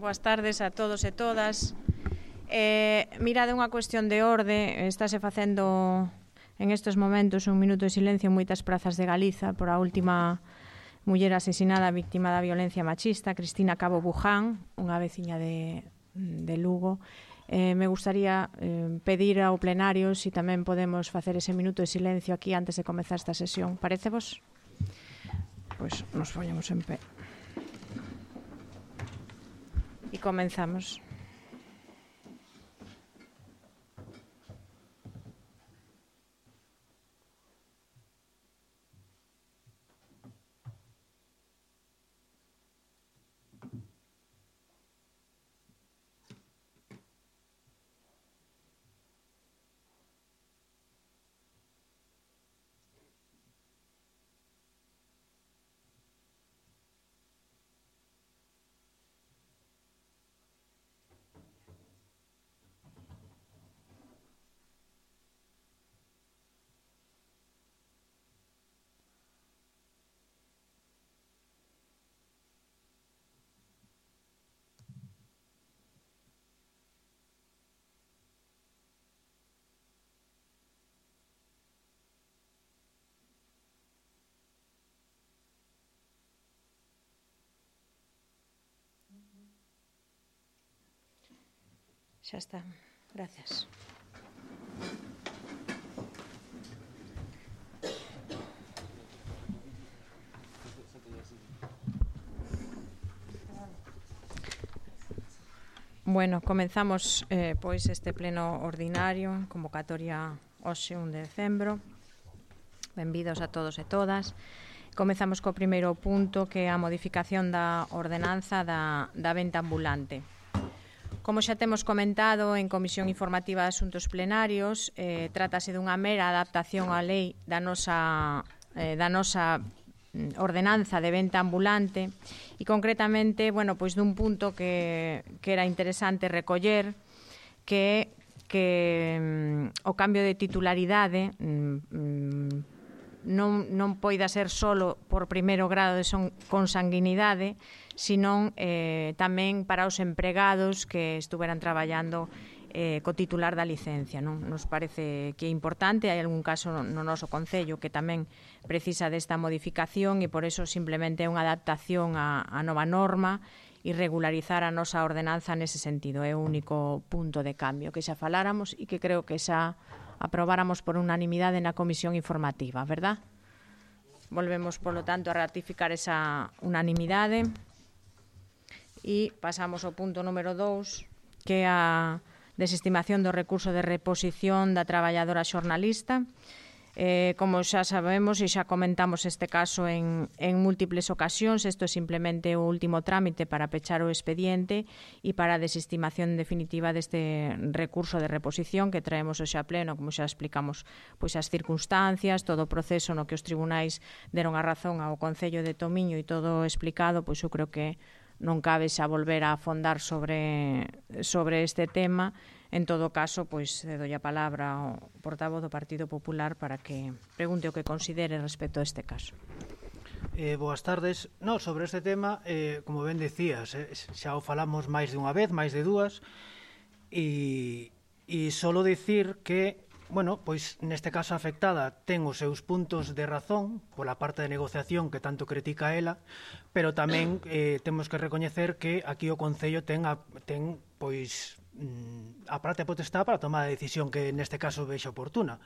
Boas tardes a todos e todas. Mirade, unha cuestión de orde. Estáse facendo en estes momentos un minuto de silencio en moitas prazas de Galiza por a última muller asesinada víctima da violencia machista, Cristina Cabo Buján, unha veciña de Lugo. Me gustaría pedir ao plenario se tamén podemos facer ese minuto de silencio aquí antes de comezar esta sesión. Parécevos? Pois nos poñemos en pé. E comenzamos. Xa está. Gracias. Bueno, comenzamos pois este pleno ordinario, convocatoria hoxe 1 de decembro. Benvidos a todos e todas. Comezamos co primeiro punto, que é a modificación da ordenanza da venta ambulante. Como xa temos comentado en Comisión Informativa de Asuntos Plenarios, trátase dunha mera adaptación á lei da nosa ordenanza de venta ambulante e concretamente, bueno, pois dun punto que era interesante recoller, que o cambio de titularidade non poida ser solo por primeiro grado de consanguinidade, senón tamén para os empregados que estuveran traballando co titular da licencia. Non nos parece que é importante. Hai algún caso no noso Concello que tamén precisa desta modificación e por eso simplemente é unha adaptación á nova norma e regularizar a nosa ordenanza nese sentido. É o único punto de cambio que xa faláramos e que creo que xa aprobáramos por unanimidade na Comisión Informativa, verdad? Volvemos, polo tanto, a ratificar esa unanimidade e pasamos ao punto número 2, que é a desestimación do recurso de reposición da traballadora xornalista. Como xa sabemos e xa comentamos este caso en múltiples ocasións, isto é simplemente o último trámite para pechar o expediente e para a desestimación definitiva deste recurso de reposición que traemos hoxe a pleno, como xa explicamos pois as circunstancias, todo o proceso no que os tribunais deron a razón ao Concello de Tomiño e todo explicado, pois eu creo que non cabe xa volver a afondar sobre este tema. En todo caso, pois doy a palabra ao portavoz do Partido Popular para que pregunte o que considere respecto a este caso. Boas tardes. No, sobre este tema, como ben decías, xa o falamos máis de unha vez, máis de dúas, e solo dicir que, bueno, pois neste caso a afectada ten os seus puntos de razón pola parte de negociación que tanto critica ela, pero tamén temos que recoñecer que aquí o Concello ten pois a parte potestad para tomar a decisión que neste caso vexa oportuna.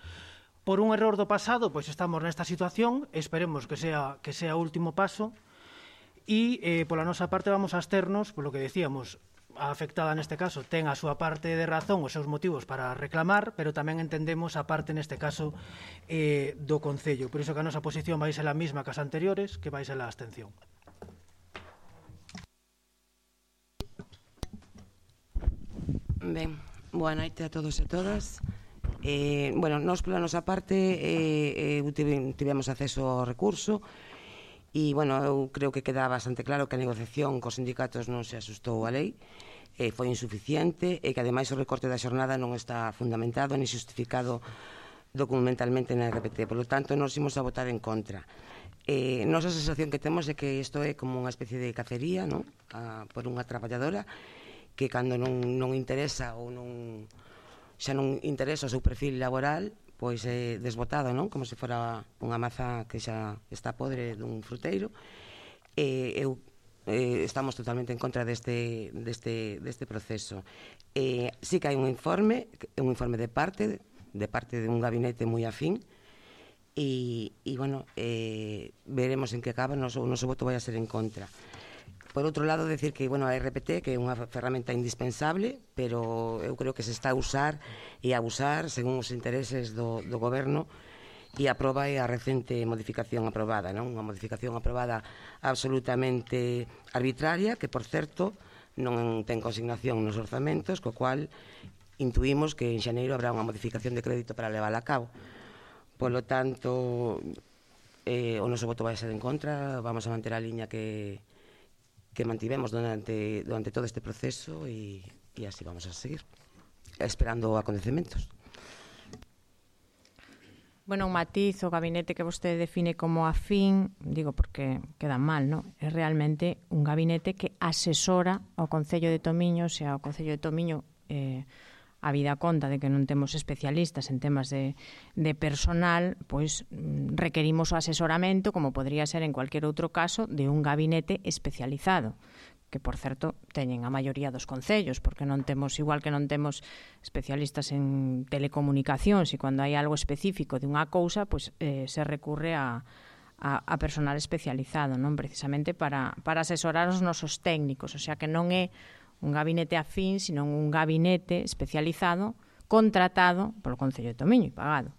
Por un error do pasado, pois estamos nesta situación, esperemos que sea o último paso e pola nosa parte vamos a absternos, polo que decíamos, a afectada neste caso ten a súa parte de razón, os seus motivos para reclamar, pero tamén entendemos a parte neste caso do Concello. Por iso que a nosa posición vai ser a mesma que as anteriores, que vai ser a abstención. Ben, boa noite a todos e todas. Bueno, nós pola nosa parte tivemos acceso ao recurso e, bueno, eu creo que queda bastante claro que a negociación cos sindicatos non se asustou a lei, foi insuficiente e que, ademais, o recorte da xornada non está fundamentado ni justificado documentalmente na RPT. Por lo tanto, nos imos a votar en contra. Nosa sensación que temos é que isto é como unha especie de cacería, non? Por unha traballadora que cando non interesa ou xa non interesa o seu perfil laboral, pois é desbotado, non? Como se fora unha maza que xa está podre dun fruteiro. Estamos totalmente en contra deste proceso. Sí que hai un informe de parte de un gabinete moi afín, e bueno, veremos en que acaba. O noso voto vai a ser en contra. Por outro lado, decir que, bueno, a RPT que é unha ferramenta indispensable, pero eu creo que se está a usar e a abusar según os intereses do goberno, e a proba é a recente modificación aprobada, non? Unha modificación aprobada absolutamente arbitraria, que, por certo, non ten consignación nos orzamentos, co cual intuímos que en xaneiro habrá unha modificación de crédito para levála a cabo. Polo tanto, o noso voto vai ser en contra. Vamos a manter a liña que mantivemos durante todo este proceso, e así vamos a seguir, esperando acontecementos. Bueno, un matiz, o gabinete que vostede define como afín, digo porque queda mal, non? É realmente un gabinete que asesora ao Concello de Tomiño, se ao Concello de Tomiño habida conta de que non temos especialistas en temas de personal, pois requerimos o asesoramento, como podría ser en cualquier outro caso, de un gabinete especializado, que, por certo, teñen a maioría dos concellos, porque non temos, igual que non temos especialistas en telecomunicacións, e cando hai algo específico de unha cousa, pois se recurre a personal especializado, non? Precisamente para asesorar os nosos técnicos, o sea que non é un gabinete afín, sino un gabinete especializado, contratado polo Concello de Tomiño e pagado.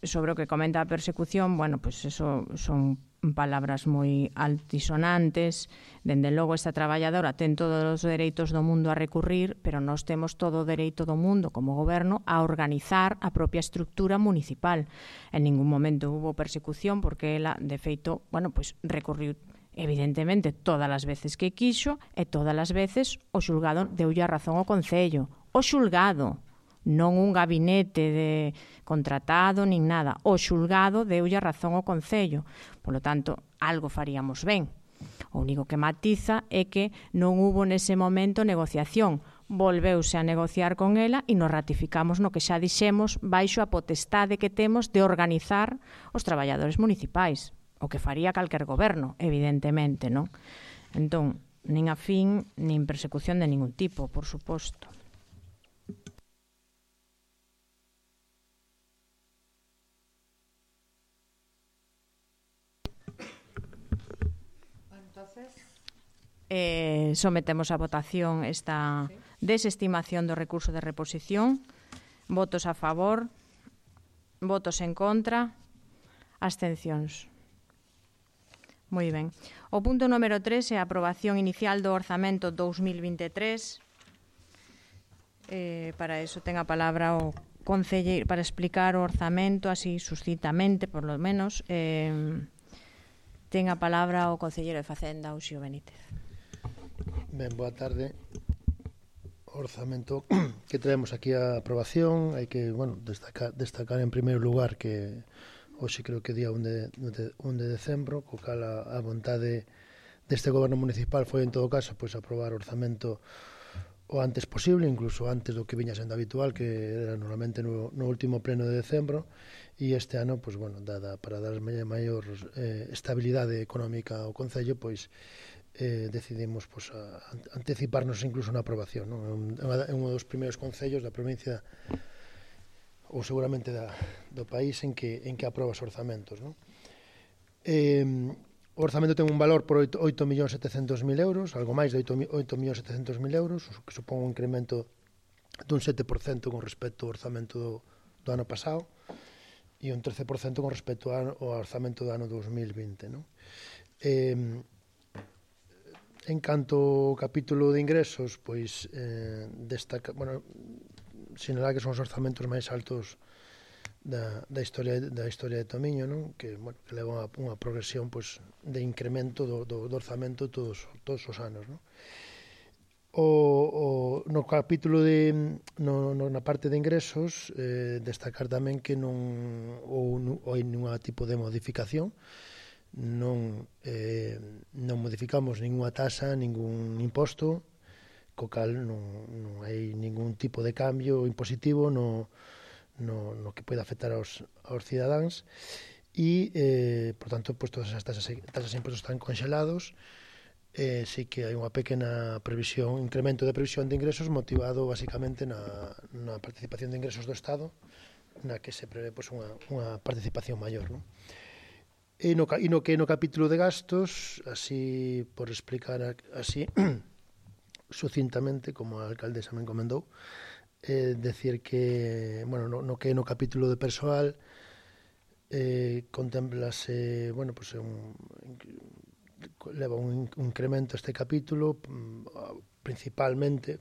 Sobre o que comenta a persecución, bueno, pues eso son palabras moi altisonantes. Dende logo, esta traballadora ten todos os dereitos do mundo a recurrir, pero nós temos todo o dereito do mundo como goberno a organizar a propia estructura municipal. En ningún momento hubo persecución, porque ela, de feito, bueno, pues recurriu evidentemente todas as veces que quixo, e todas as veces o xulgado deulle a razón ao Concello. O xulgado, non un gabinete de contratado nin nada. O xulgado deulle a razón ao Concello. Polo tanto, algo faríamos ben. O único que matiza é que non hubo nese momento negociación. Volveuse a negociar con ela e nos ratificamos no que xa dixemos baixo a potestade que temos de organizar os traballadores municipais. O que faría calquer goberno, evidentemente, non? Entón, nin afín, nin persecución de ningún tipo, por suposto. Sometemos a votación esta desestimación do recurso de reposición. Votos a favor, votos en contra, abstencións. Moi ben. O punto número 3 é a aprobación inicial do orzamento 2023. Para iso ten a palabra o concelleiro para explicar o orzamento así suscitamente, por lo menos. Ten a palabra o concelleiro de Facenda, Uxío Benítez. Ben, boa tarde. O orzamento que traemos aquí a aprobación, hai que, bueno, destacar en primeiro lugar que hoxe creo que día 1 de decembro, co cal a vontade deste goberno municipal foi en todo caso pois aprobar o orzamento o antes posible, incluso antes do que viña sendo habitual, que era normalmente no último pleno de decembro, e este ano, pois, bueno, para dar maior estabilidade económica ao Concello, pois decidimos pois, anticiparnos incluso na aprobación, non? É un dos primeiros concellos da provincia ou seguramente do país en que aproba os orzamentos, non? O orzamento ten un valor por 8.700.000 euros, algo máis de 8.700.000 euros, que supón un incremento dun 7% con respecto ao orzamento do ano pasado e un 13% con respecto ao orzamento do ano 2020, non? En canto ao capítulo de ingresos, pois destaca, bueno, sinalar que son os orzamentos máis altos da historia de Tomiño, non? Que, bueno, que leva unha progresión pois de incremento do orzamento todos os anos, non? No capítulo na parte de ingresos, destacar tamén que non hai ningún tipo de modificación, non modificamos ninguna tasa, ningún imposto, co cal non hai ningún tipo de cambio impositivo no que pode afectar aos cidadáns e, por tanto, pues, todas as tasas e impostos están congelados. Sí que hai unha pequena incremento de previsión de ingresos motivado basicamente na participación de ingresos do Estado, na que se prevé pues, unha participación maior, non? E no capítulo de gastos, así por explicar así sucintamente, como a alcaldesa me encomendou, decir que, bueno, no que no capítulo de persoal contemplase, bueno, pues leva un incremento este capítulo, principalmente,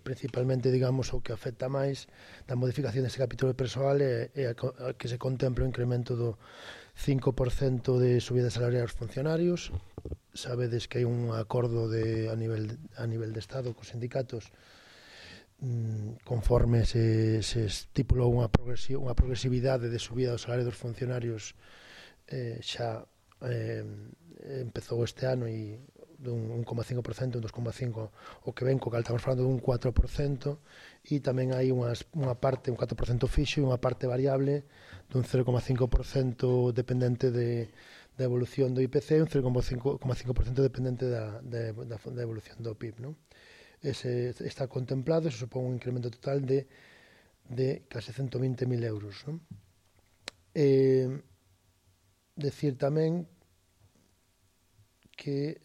digamos, o que afecta máis da modificación deste capítulo de persoal é a que se contempla o incremento do 5% de subida salarial aos funcionarios. Sabedes que hai un acordo a nivel de Estado cos sindicatos, conforme se estipulou unha progresividade de subida do salario dos funcionarios, xa empezou este ano e dun 1,5%, un 2,5%, o que ven, co cal estamos falando dun 4%, e tamén hai unha parte, un 4% fixo e unha parte variable dun 0,5% dependente da evolución do IPC e un 0,5% dependente da evolución do PIB, non? Ese está contemplado, se supón un incremento total de case 120.000 euros, non? Decir tamén que,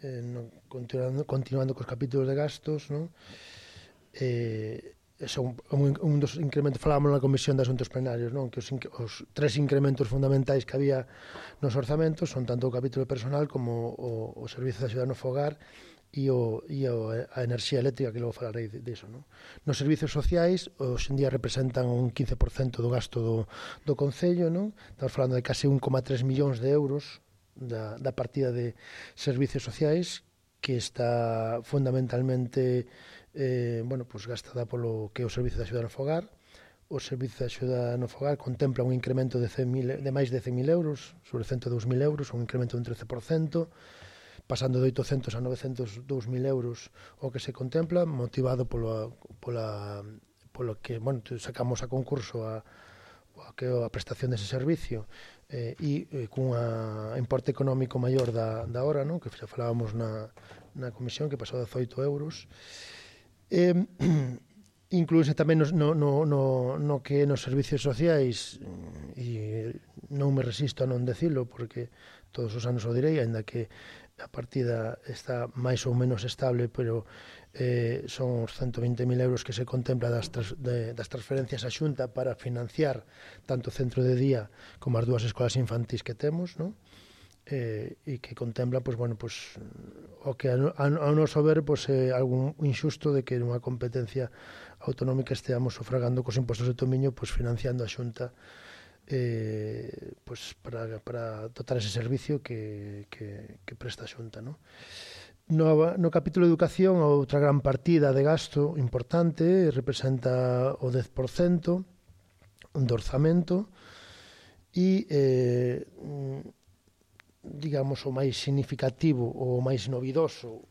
continuando cos capítulos de gastos, non? Un dos incrementos, falábamos na Comisión de Asuntos Plenarios, non? Que os tres incrementos fundamentais que había nos orzamentos son tanto o capítulo personal como o servizo de axuda no fogar e a enerxía eléctrica, que logo falarei diso, non? Nos servizos sociais, hoxe en día representan un 15% do gasto do Concello, non? Estamos falando de case 1,3 millóns de euros da partida de servizos sociais, que está fundamentalmente pues gastada polo que é o servizo de axuda no fogar. O servizo de axuda no fogar contempla un incremento de máis de 100.000 euros, sobre 102.000 euros, un incremento de un 13%, pasando de 800 a 902.000 euros o que se contempla, motivado polo que, bueno, sacamos a concurso a prestación dese servicio, cun importe económico maior da hora, non? Que xa falábamos na comisión, que pasou de 18 euros. Incluíse tamén no que nos servicios sociais, e non me resisto a non decilo, porque todos os anos o direi, ainda que a partida está máis ou menos estable, pero son os 120.000 euros que se contempla das transferencias á Xunta para financiar tanto o centro de día como as dúas escolas infantís que temos, non? E que contempla, pues, bueno, pues, o que ao noso ver, pues, algún injusto de que nunha competencia autonómica esteamos sufragando cos impostos de Tomiño, pues, financiando a Xunta pues, para dotar ese servicio que presta a Xunta, non? No capítulo de educación, outra gran partida de gasto importante representa o 10% do orzamento e, digamos, o máis significativo, o máis novidoso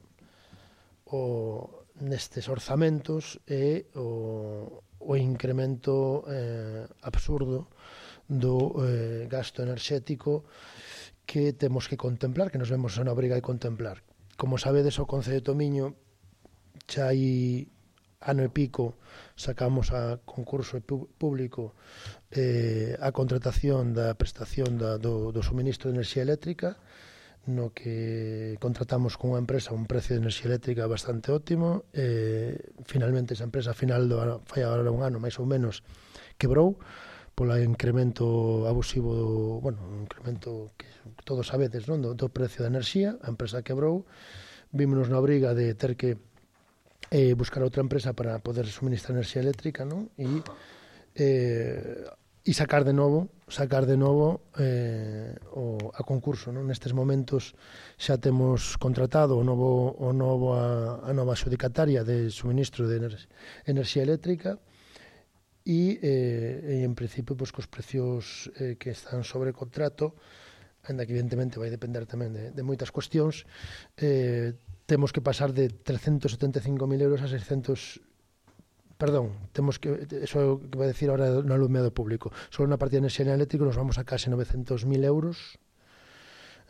nestes orzamentos é o incremento absurdo do gasto enerxético que temos que contemplar, que nos vemos na obriga de contemplar. Como sabedes, o Concello de Tomiño xa hai ano e pico sacamos a concurso público a contratación da prestación do suministro de enerxía eléctrica, no que contratamos con unha empresa un precio de enerxía eléctrica bastante óptimo. Finalmente esa empresa, fai agora un ano máis ou menos, quebrou polo incremento abusivo un incremento que todos sabedes, non? Do precio da enerxía. A empresa quebrou, vímonos na obriga de ter que buscar outra empresa para poder suministrar enerxía eléctrica, non? E e sacar de novo a concurso, non? Nestes momentos xa temos contratado a nova adjudicataria de suministro de enerxía eléctrica e en principio cos precios que están sobre contrato, ainda que evidentemente vai depender tamén de moitas cuestións, temos que pasar de 375.000 euros a 600. Perdón, eso que vai decir ahora no alumeado público. Solo na partida de enerxía eléctrica nos vamos a case 900.000 euros,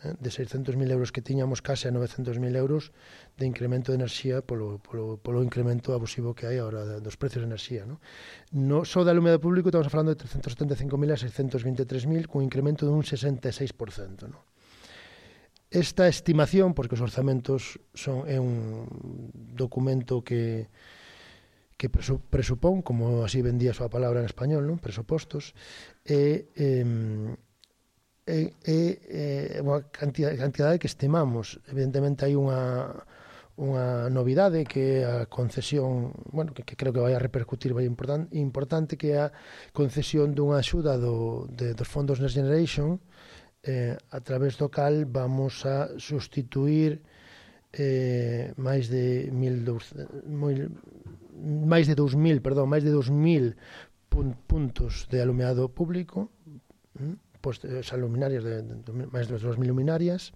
de 600.000 euros que tiñamos case a 900.000 euros de incremento de enerxía polo incremento abusivo que hai ahora dos precios de enerxía. No só de alumeado público estamos falando de 375.000 a 623.000, cun incremento dun 66%. Esta estimación, porque os orzamentos é un documento que presupón, como así vendía a súa palabra en español, non? Presupostos, unha cantidade que estimamos. Evidentemente hai unha novidade que é a concesión, bueno, que creo que vai a repercutir vai importante, que é a concesión dunha axuda dos fondos Next Generation, a través do cal vamos a sustituir máis de 2.000 puntos de alumeado público, pues esas luminarias máis de 2.000 luminarias,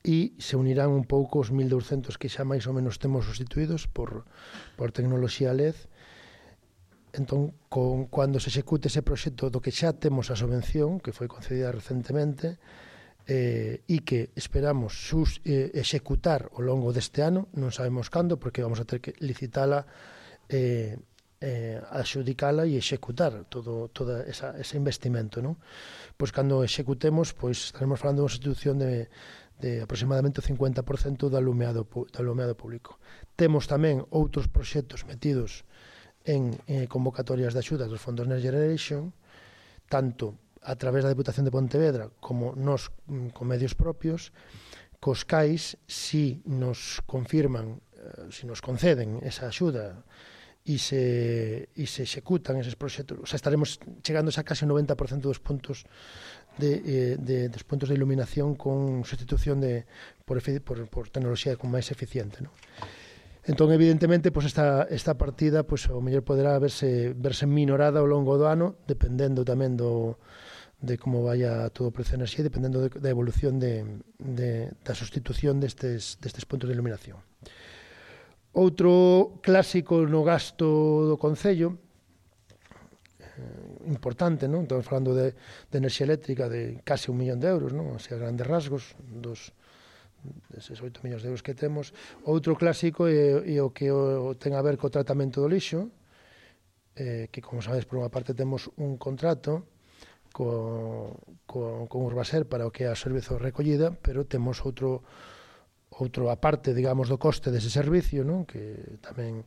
e se unirán un pouco os 1.200 que xa máis ou menos temos sustituídos por tecnoloxía LED. Entón, cando se execute ese proxecto do que xa temos a subvención, que foi concedida recentemente, e que esperamos executar ao longo deste ano, non sabemos cando, porque vamos a ter que licitala, adxudicala e executar todo ese investimento, non? Pois cando executemos, pois estaremos falando de unha institución de aproximadamente o 50% do alumeado público. Temos tamén outros proxectos metidos en convocatorias de axudas dos fondos Next Generation, tanto a través da Deputación de Pontevedra como nos con medios propios, cos cais, si nos confirman, si nos conceden esa axuda e se executan eses proxectos, o sea, estaremos chegando a case 90% dos puntos dos puntos de iluminación con sustitución por tecnoloxía con máis eficiente, non? Entón, evidentemente, pues esta partida, pues o mellor poderá verse minorada ao longo do ano, dependendo tamén de como vaya todo o precio de enerxía, dependendo da evolución da sustitución destes puntos de iluminación. Outro clásico no gasto do Concello, importante, non? Estamos falando de enerxía eléctrica de case 1 millón de euros, non? O sea, grandes rasgos deses 8 millóns de euros que temos. Outro clásico é o que ten a ver co tratamento do lixo, que, como sabedes, por unha parte temos un contrato con Urbaser para o que é a servizo de recollida, pero temos outro aparte, digamos, do coste dese servicio, non? Que tamén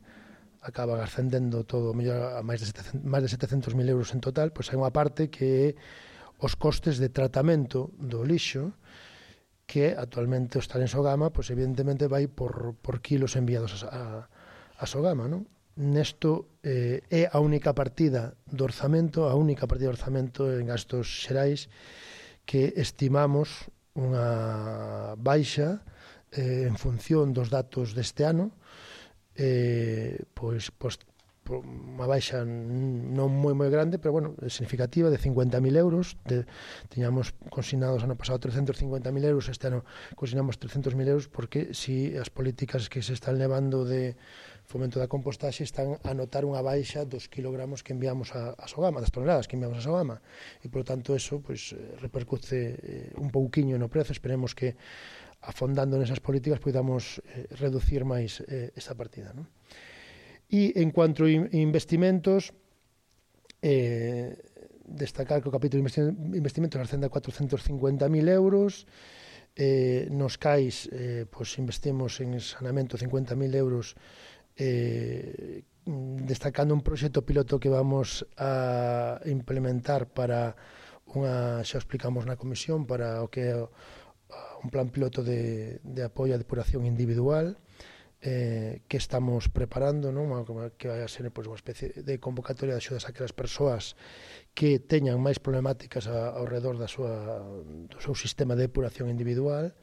acaba ascendendo todo mellor a máis de 700.000 euros en total. Pois hai unha parte que é os costes de tratamento do lixo, que actualmente o estar en Sogama, pois evidentemente vai por kilos enviados a Sogama, non? Nesto é a única partida do orzamento, en gastos xerais, que estimamos unha baixa en función dos datos deste ano, pois unha baixa non moi grande, pero bueno, significativa, de 50.000 euros. Tiñamos consignados ano pasado 350.000 euros, este ano consignamos 300.000 euros, porque si as políticas que se están levando de fomento da compostaxe están a notar unha baixa dos kilogramos que enviamos a Sogama, das toneladas que enviamos a Sogama, e por tanto eso pues repercute un pouquiño no prezo. Esperemos que afondando nesas políticas podamos reducir máis esa partida, non? E en cuanto a investimentos, destacar que o capítulo de investimentos ascende a 450.000 euros, nos CAIs pues investimos en saneamento 50.000 euros, destacando un proxecto piloto que vamos a implementar para xa explicamos na comisión, para o que é un plan piloto de apoio a depuración individual, que estamos preparando, non? Que vai a ser pois, unha especie de convocatoria de axudas a aquelas persoas que teñan máis problemáticas ao redor do seu sistema de depuración individual.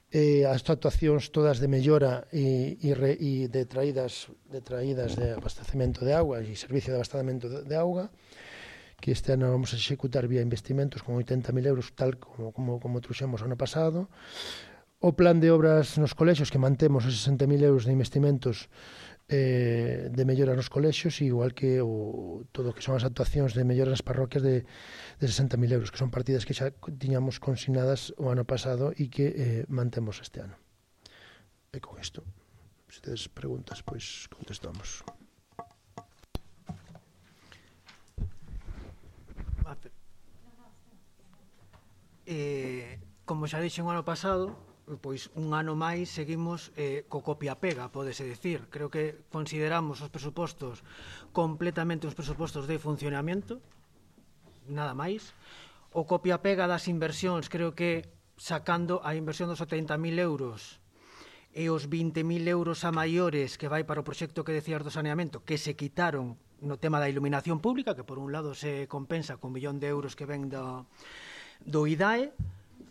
As actuacións todas de mellora e de traídas de abastecemento de auga e servicio de abastecemento de auga, que este ano vamos a executar vía investimentos con 80.000 euros, tal como trouxemos ano pasado. O plan de obras nos colexios, que mantemos os 60.000 euros de investimentos de mellora nos colexios, igual que todo o que son as actuacións de mellora nas parroquias de 60.000 euros, que son partidas que xa tiñamos consignadas o ano pasado e que mantemos este ano. E con isto, se tedes preguntas, pois contestamos. Como xa dixen o ano pasado, pois un ano máis seguimos co copia-pega, pódese dicir. Creo que consideramos os presupostos completamente uns presupostos de funcionamento, nada máis. O copia-pega das inversións, creo que sacando a inversión dos 70.000 euros e os 20.000 euros a maiores que vai para o proxecto que decías do saneamento, que se quitaron no tema da iluminación pública, que por un lado se compensa con 1 millón de euros que ven do IDAE,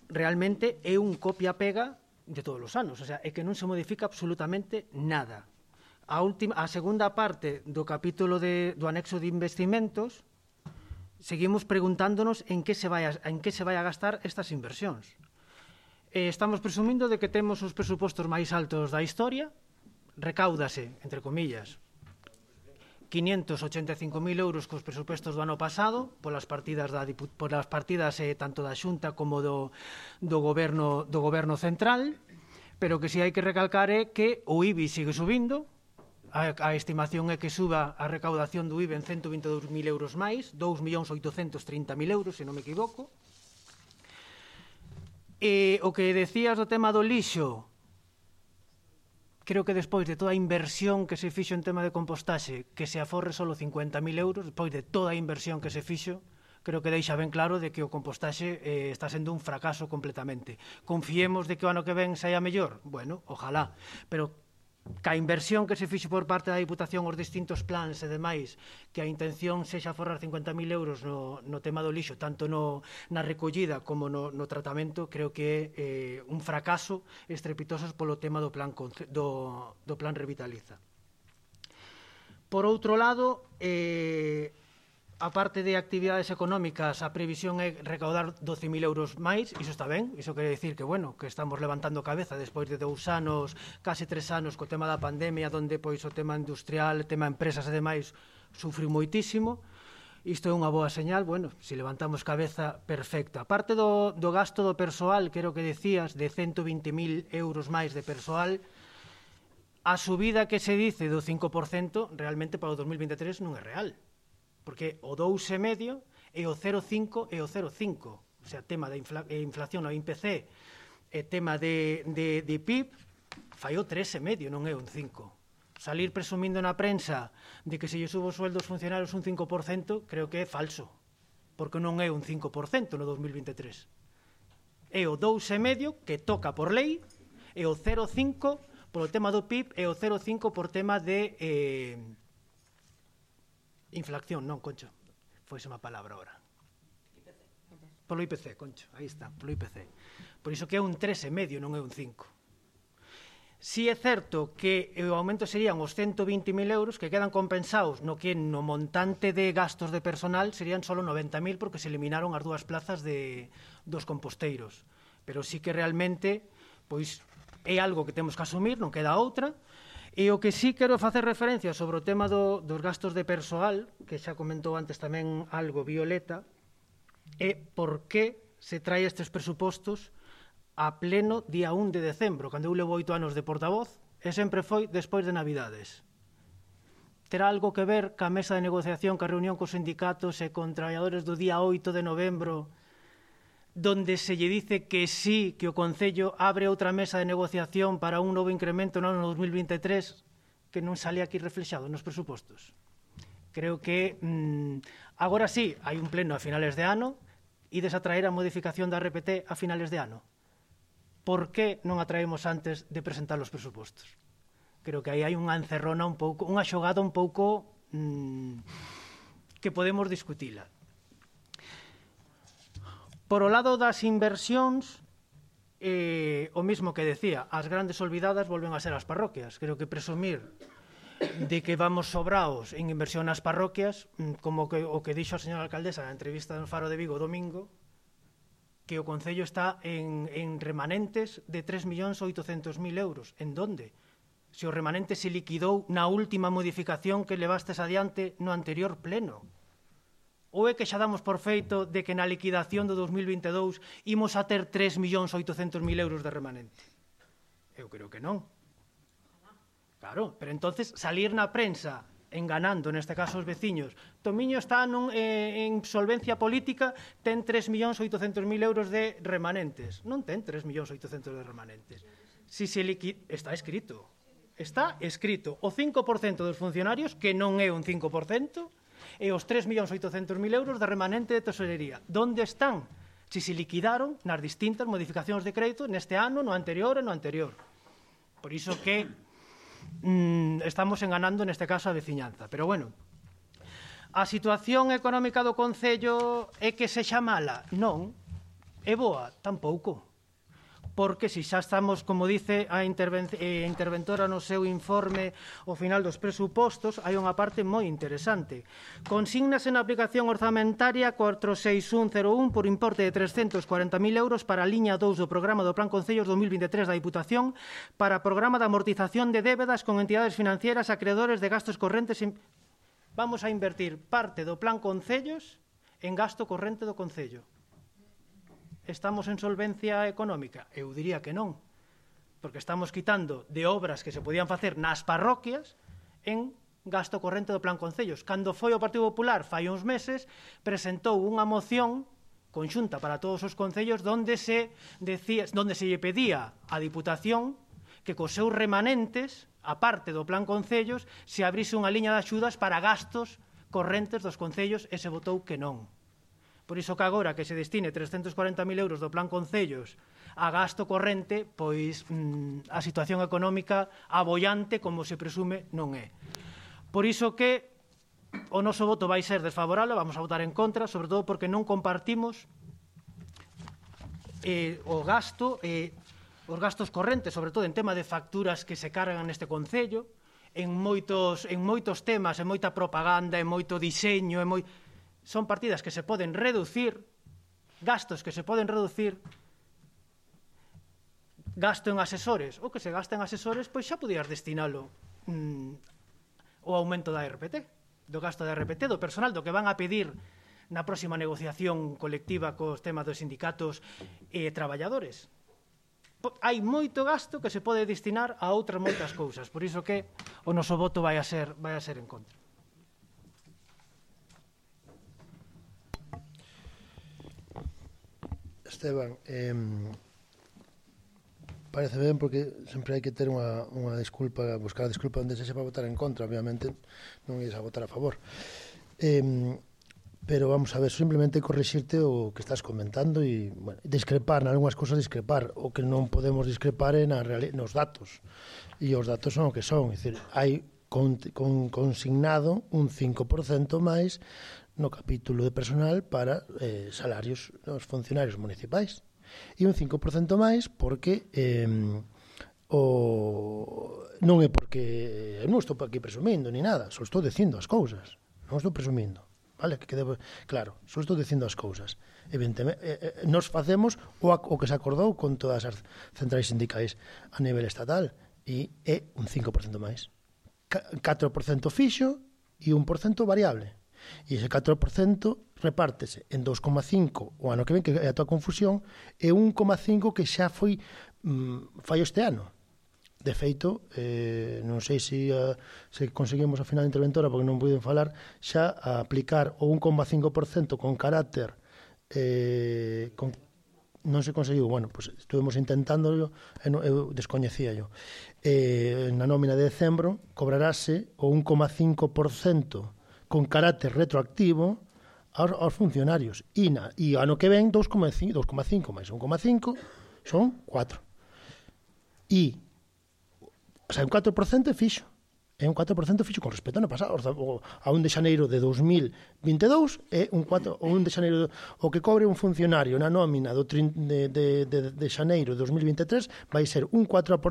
realmente é un copia-pega de todos os anos, o sea, é que non se modifica absolutamente nada. A segunda parte do capítulo do anexo de investimentos, seguimos preguntándonos en que se vai a gastar estas inversións. Estamos presumindo de que temos os presupostos máis altos da historia, recáudase, entre comillas, 585.000 euros cos presupostos do ano pasado polas partidas tanto da Xunta como do goberno central, pero que si hai que recalcar é que o IBI sigue subindo, a estimación é que suba a recaudación do IBI en 122.000 euros máis, 2.830.000 euros, se non me equivoco. E o que decías do tema do lixo, creo que despois de toda a inversión que se fixo en tema de compostaxe, que se aforre só 50.000 euros, despois de toda a inversión que se fixo, creo que deixa ben claro de que o compostaxe está sendo un fracaso completamente. Confiemos de que o ano que ven saia mellor? Bueno, ojalá, pero ca inversión que se fixo por parte da Diputación, os distintos plans e demais, que a intención sexa aforrar 50.000 euros no tema do lixo, tanto na recollida como no tratamento, creo que é un fracaso estrepitoso polo tema do plan Revitaliza. Por outro lado, a parte de actividades económicas, a previsión é recaudar 12.000 euros máis, iso está ben, iso quere dicir que, bueno, que estamos levantando cabeza despois de 2 anos, case 3 anos, co tema da pandemia, onde pois o tema industrial, o tema empresas e demais, sufriu moitísimo. Isto é unha boa señal, bueno, se levantamos cabeza, perfecta. A parte do gasto do persoal, que era o que decías, de 120.000 euros máis de persoal, a subida que se dice do 5% realmente para o 2023 non é real, porque o 2,5 e o 0,5 e o 0,5, o sea, tema de inflación no IPC e tema de PIB, fai o 3,5, non é un 5. Salir presumindo na prensa de que se lle subo o sueldo aos funcionarios un 5%, creo que é falso, porque non é un 5% no 2023. É o 2,5 que toca por lei, e o 0,5 polo tema do PIB e o 0,5 por tema de inflación, non, Concho, foi unha palabra ahora. Polo IPC, Concho, aí está, polo IPC. Por iso que é un 3,5, non é un 5. Si é certo que o aumento serían os 120.000 euros que quedan compensados no montante de gastos de personal serían só 90.000 porque se eliminaron as 2 plazas dos composteiros. Pero sí que realmente pois é algo que temos que asumir, non queda outra. E o que sí quero facer referencia sobre o tema dos gastos de persoal, que xa comentou antes tamén algo Violeta, é por que se trae estes presupostos a pleno día 1 de decembro, cando eu levo 8 anos de portavoz, e sempre foi despois de Navidades. Terá algo que ver ca mesa de negociación, ca reunión cos sindicatos e con traballadores do día 8 de novembro, donde se lle dice que sí, que o Concello abre outra mesa de negociación para un novo incremento no ano 2023, que non sale aquí reflexado nos presupostos. Creo que agora sí, hai un pleno a finales de ano, ides a traer a modificación da RPT a finales de ano. Por que non a traemos antes de presentar os presupostos? Creo que aí hai unha encerrona un pouco, unha xogada un pouco que podemos discutila. Por o lado das inversións, o mismo que decía, as grandes olvidadas volven a ser as parroquias. Creo que presumir de que vamos sobraos en inversión nas parroquias, como o que dixo a señora alcaldesa na entrevista no Faro de Vigo domingo, que o Concello está en remanentes de 3.800.000 euros. En donde? Se o remanente se liquidou na última modificación que levastes adiante no anterior pleno. Ou é que xa damos por feito de que na liquidación do 2022 imos a ter 3.800.000 euros de remanente? Eu creo que non. Claro, pero entonces salir na prensa enganando, neste caso os veciños, Tomiño está en solvencia política, ten 3.800.000 euros de remanentes. Non ten 3.800.000 de remanentes. Si se está escrito. Está escrito o 5% dos funcionarios, que non é un 5%, e os 3.800.000 euros de remanente de tesorería. Donde están? Si se liquidaron nas distintas modificacións de crédito neste ano, no anterior e no anterior. Por iso que estamos enganando neste caso a veciñanza. Pero bueno, a situación económica do Concello é que sexa mala? Non. É boa? Tampouco. Porque se xa estamos, como dice a interventora no seu informe ao final dos presupostos, hai unha parte moi interesante. Consignas en aplicación orzamentaria 46101 por importe de 340.000 euros para a liña 2 do programa do Plan Concellos 2023 da Diputación para programa de amortización de débedas con entidades financieras acreedores de gastos correntes. Vamos a invertir parte do Plan Concellos en gasto corrente do Concello. Estamos en solvencia económica? Eu diría que non, porque estamos quitando de obras que se podían facer nas parroquias en gasto corrente do Plan Concellos. Cando foi o Partido Popular, fai uns meses, presentou unha moción conxunta para todos os concellos donde se lle pedía á Diputación que cos seus remanentes, a parte do Plan Concellos, se abrise unha liña de axudas para gastos correntes dos concellos e se votou que non. Por iso que agora que se destine 340.000 euros do Plan Concellos a gasto corrente, pois a situación económica abollante, como se presume, non é. Por iso que o noso voto vai ser desfavorable, vamos a votar en contra, sobre todo porque non compartimos o gasto, os gastos correntes, sobre todo en tema de facturas que se cargan neste Concello, en moitos temas, en moita propaganda, en moito diseño, son partidas que se poden reducir, gastos que se poden reducir, gasto en asesores, o que se gasta en asesores, pois xa podías destinalo o aumento da RPT, do gasto da RPT, do personal, do que van a pedir na próxima negociación colectiva cos temas dos sindicatos e traballadores. Hai moito gasto que se pode destinar a outras moitas cousas, por iso que o noso voto vai a ser en contra. Esteban, parece ben porque sempre hai que ter unha disculpa, buscar a disculpa onde se sepa votar en contra, obviamente non ias a votar a favor. Pero vamos a ver, simplemente corrixirte o que estás comentando e discrepar, en algunhas cosas discrepar, o que non podemos discrepar é nos datos, e os datos son o que son, é dicir, hai consignado un 5% máis no capítulo de personal para salarios dos funcionarios municipais. E un 5% máis porque non é porque non estou aquí presumindo ni nada, só estou dicindo as cousas, non estou presumindo, vale? Que quede claro, só estou dicindo as cousas. Evidentemente, nos facemos o que se acordou con todas as centrais sindicais a nivel estatal e é un 5% máis. 4% fixo e 1% variable. E ese 4% repártese en 2,5 o ano que ven, que é a tua confusión, e 1,5 que xa foi fallo este ano. De feito, non sei se conseguimos a final da interventora, porque non puiden falar, xa a aplicar o 1,5% con carácter non se conseguiu, bueno, pues estuvemos intentándolo, eu descoñecía yo. Na nómina de decembro cobrarase o 1,5% con carácter retroactivo aos funcionarios. E ano que ven 2,5 máis 1,5 son 4. E O sea, un 4% é fixo. É un 4% fixo con respecto ao ano pasado. A 1 de xaneiro de 2022 é un 4, o 1 de xaneiro o que cobre un funcionario na nómina de xaneiro de 2023 vai ser un 4%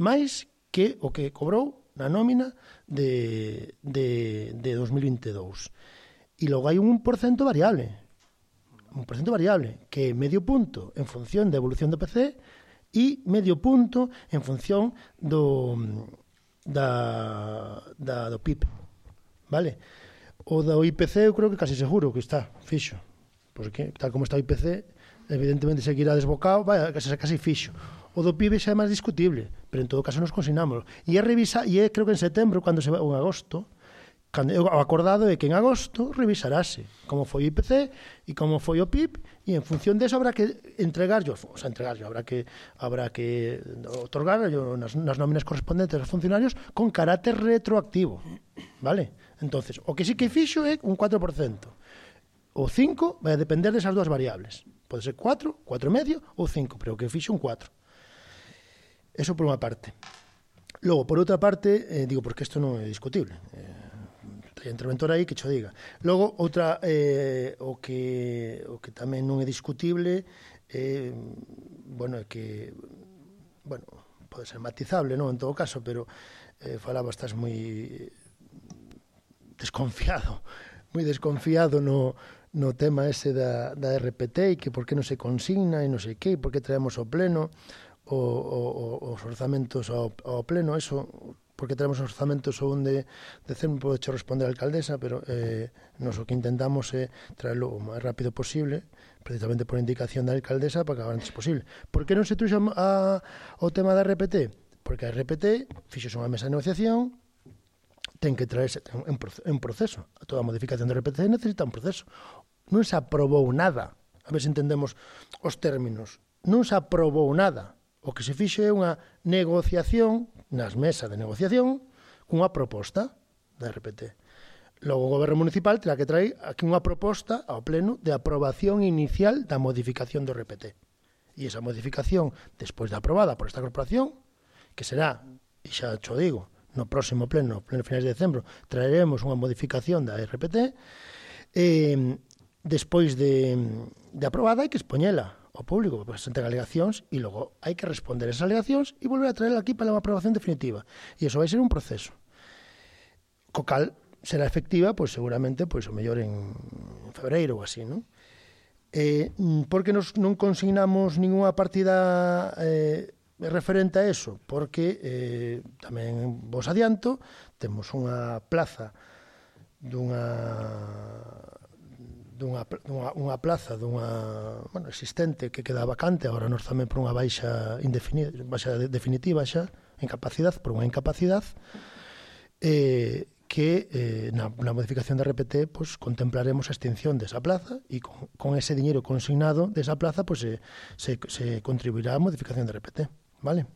máis que o que cobrou na nómina de 2022. E logo hai un 1% variable. Un % variable, que é medio punto en función da evolución do PC e medio punto en función do PIB, vale? O do IPC eu creo que casi seguro que está fixo, porque tal como está o IPC evidentemente seguirá desbocado, vai casi fixo. O do PIB xa é máis discutible, pero en todo caso nos consignamos. E creo que en setembro, cando se va, ou en agosto, o acordado é que en agosto revisarase como foi o IPC e como foi o PIB, e en función deso habrá que entregarlo, habrá que otorgarlo nas nóminas correspondentes aos funcionarios con carácter retroactivo, vale? Entonces, o que sí que fixo é un 4%. O 5 vai a depender desas dúas variables. Pode ser 4, 4,5 ou 5, pero o que fixo un 4. Eso por unha parte. Logo, por outra parte, digo, porque isto non é discutible, hai interventor aí que cho diga. Logo, outra, o que tamén non é discutible, bueno, é que, bueno, pode ser matizable, non, en todo caso, pero falaba, estás moi desconfiado no tema ese da RPT e que por que non se consigna e non sei que, por que traemos ao pleno os orzamentos ao pleno, eso, porque traemos os orzamentos o 1 de decembro, pode responder a alcaldesa, pero nos o que intentamos é traerlo o máis rápido posible, precisamente por indicación da alcaldesa, para que acabar antes posible. Por que non se truxa o tema da RPT? Porque a RPT fixose unha mesa de negociación, ten que traerse un proceso. Toda a modificación da RPT necesita un proceso. Non se aprobou nada. A ver se entendemos os términos. Non se aprobou nada. O que se fixe é unha negociación nas mesas de negociación cunha proposta da RPT. Logo o Goberno Municipal terá que traer aquí unha proposta ao pleno de aprobación inicial da modificación do RPT. E esa modificación, despois de aprobada por esta corporación, que será, e xa cho digo, no próximo pleno finais de decembro, traeremos unha modificación da RPT, despois de aprobada hai que expoñela ao público, para que se entregue alegacións e logo hai que responder esas alegacións e volver a traerla aquí para a aprobación definitiva. E iso vai ser un proceso. Co cal será efectiva, pois seguramente, pois o mellor en febreiro ou así, non? Por que non consignamos ninguna partida referente a eso? Porque tamén vos adianto, temos unha plaza unha plaza existente que queda vacante agora nos tamén por unha baixa definitiva xa, por unha incapacidade que na modificación da RPT pues, contemplaremos a extinción desa plaza e con ese diñeiro consignado desa plaza pues, se contribuirá a modificación da RPT, vale?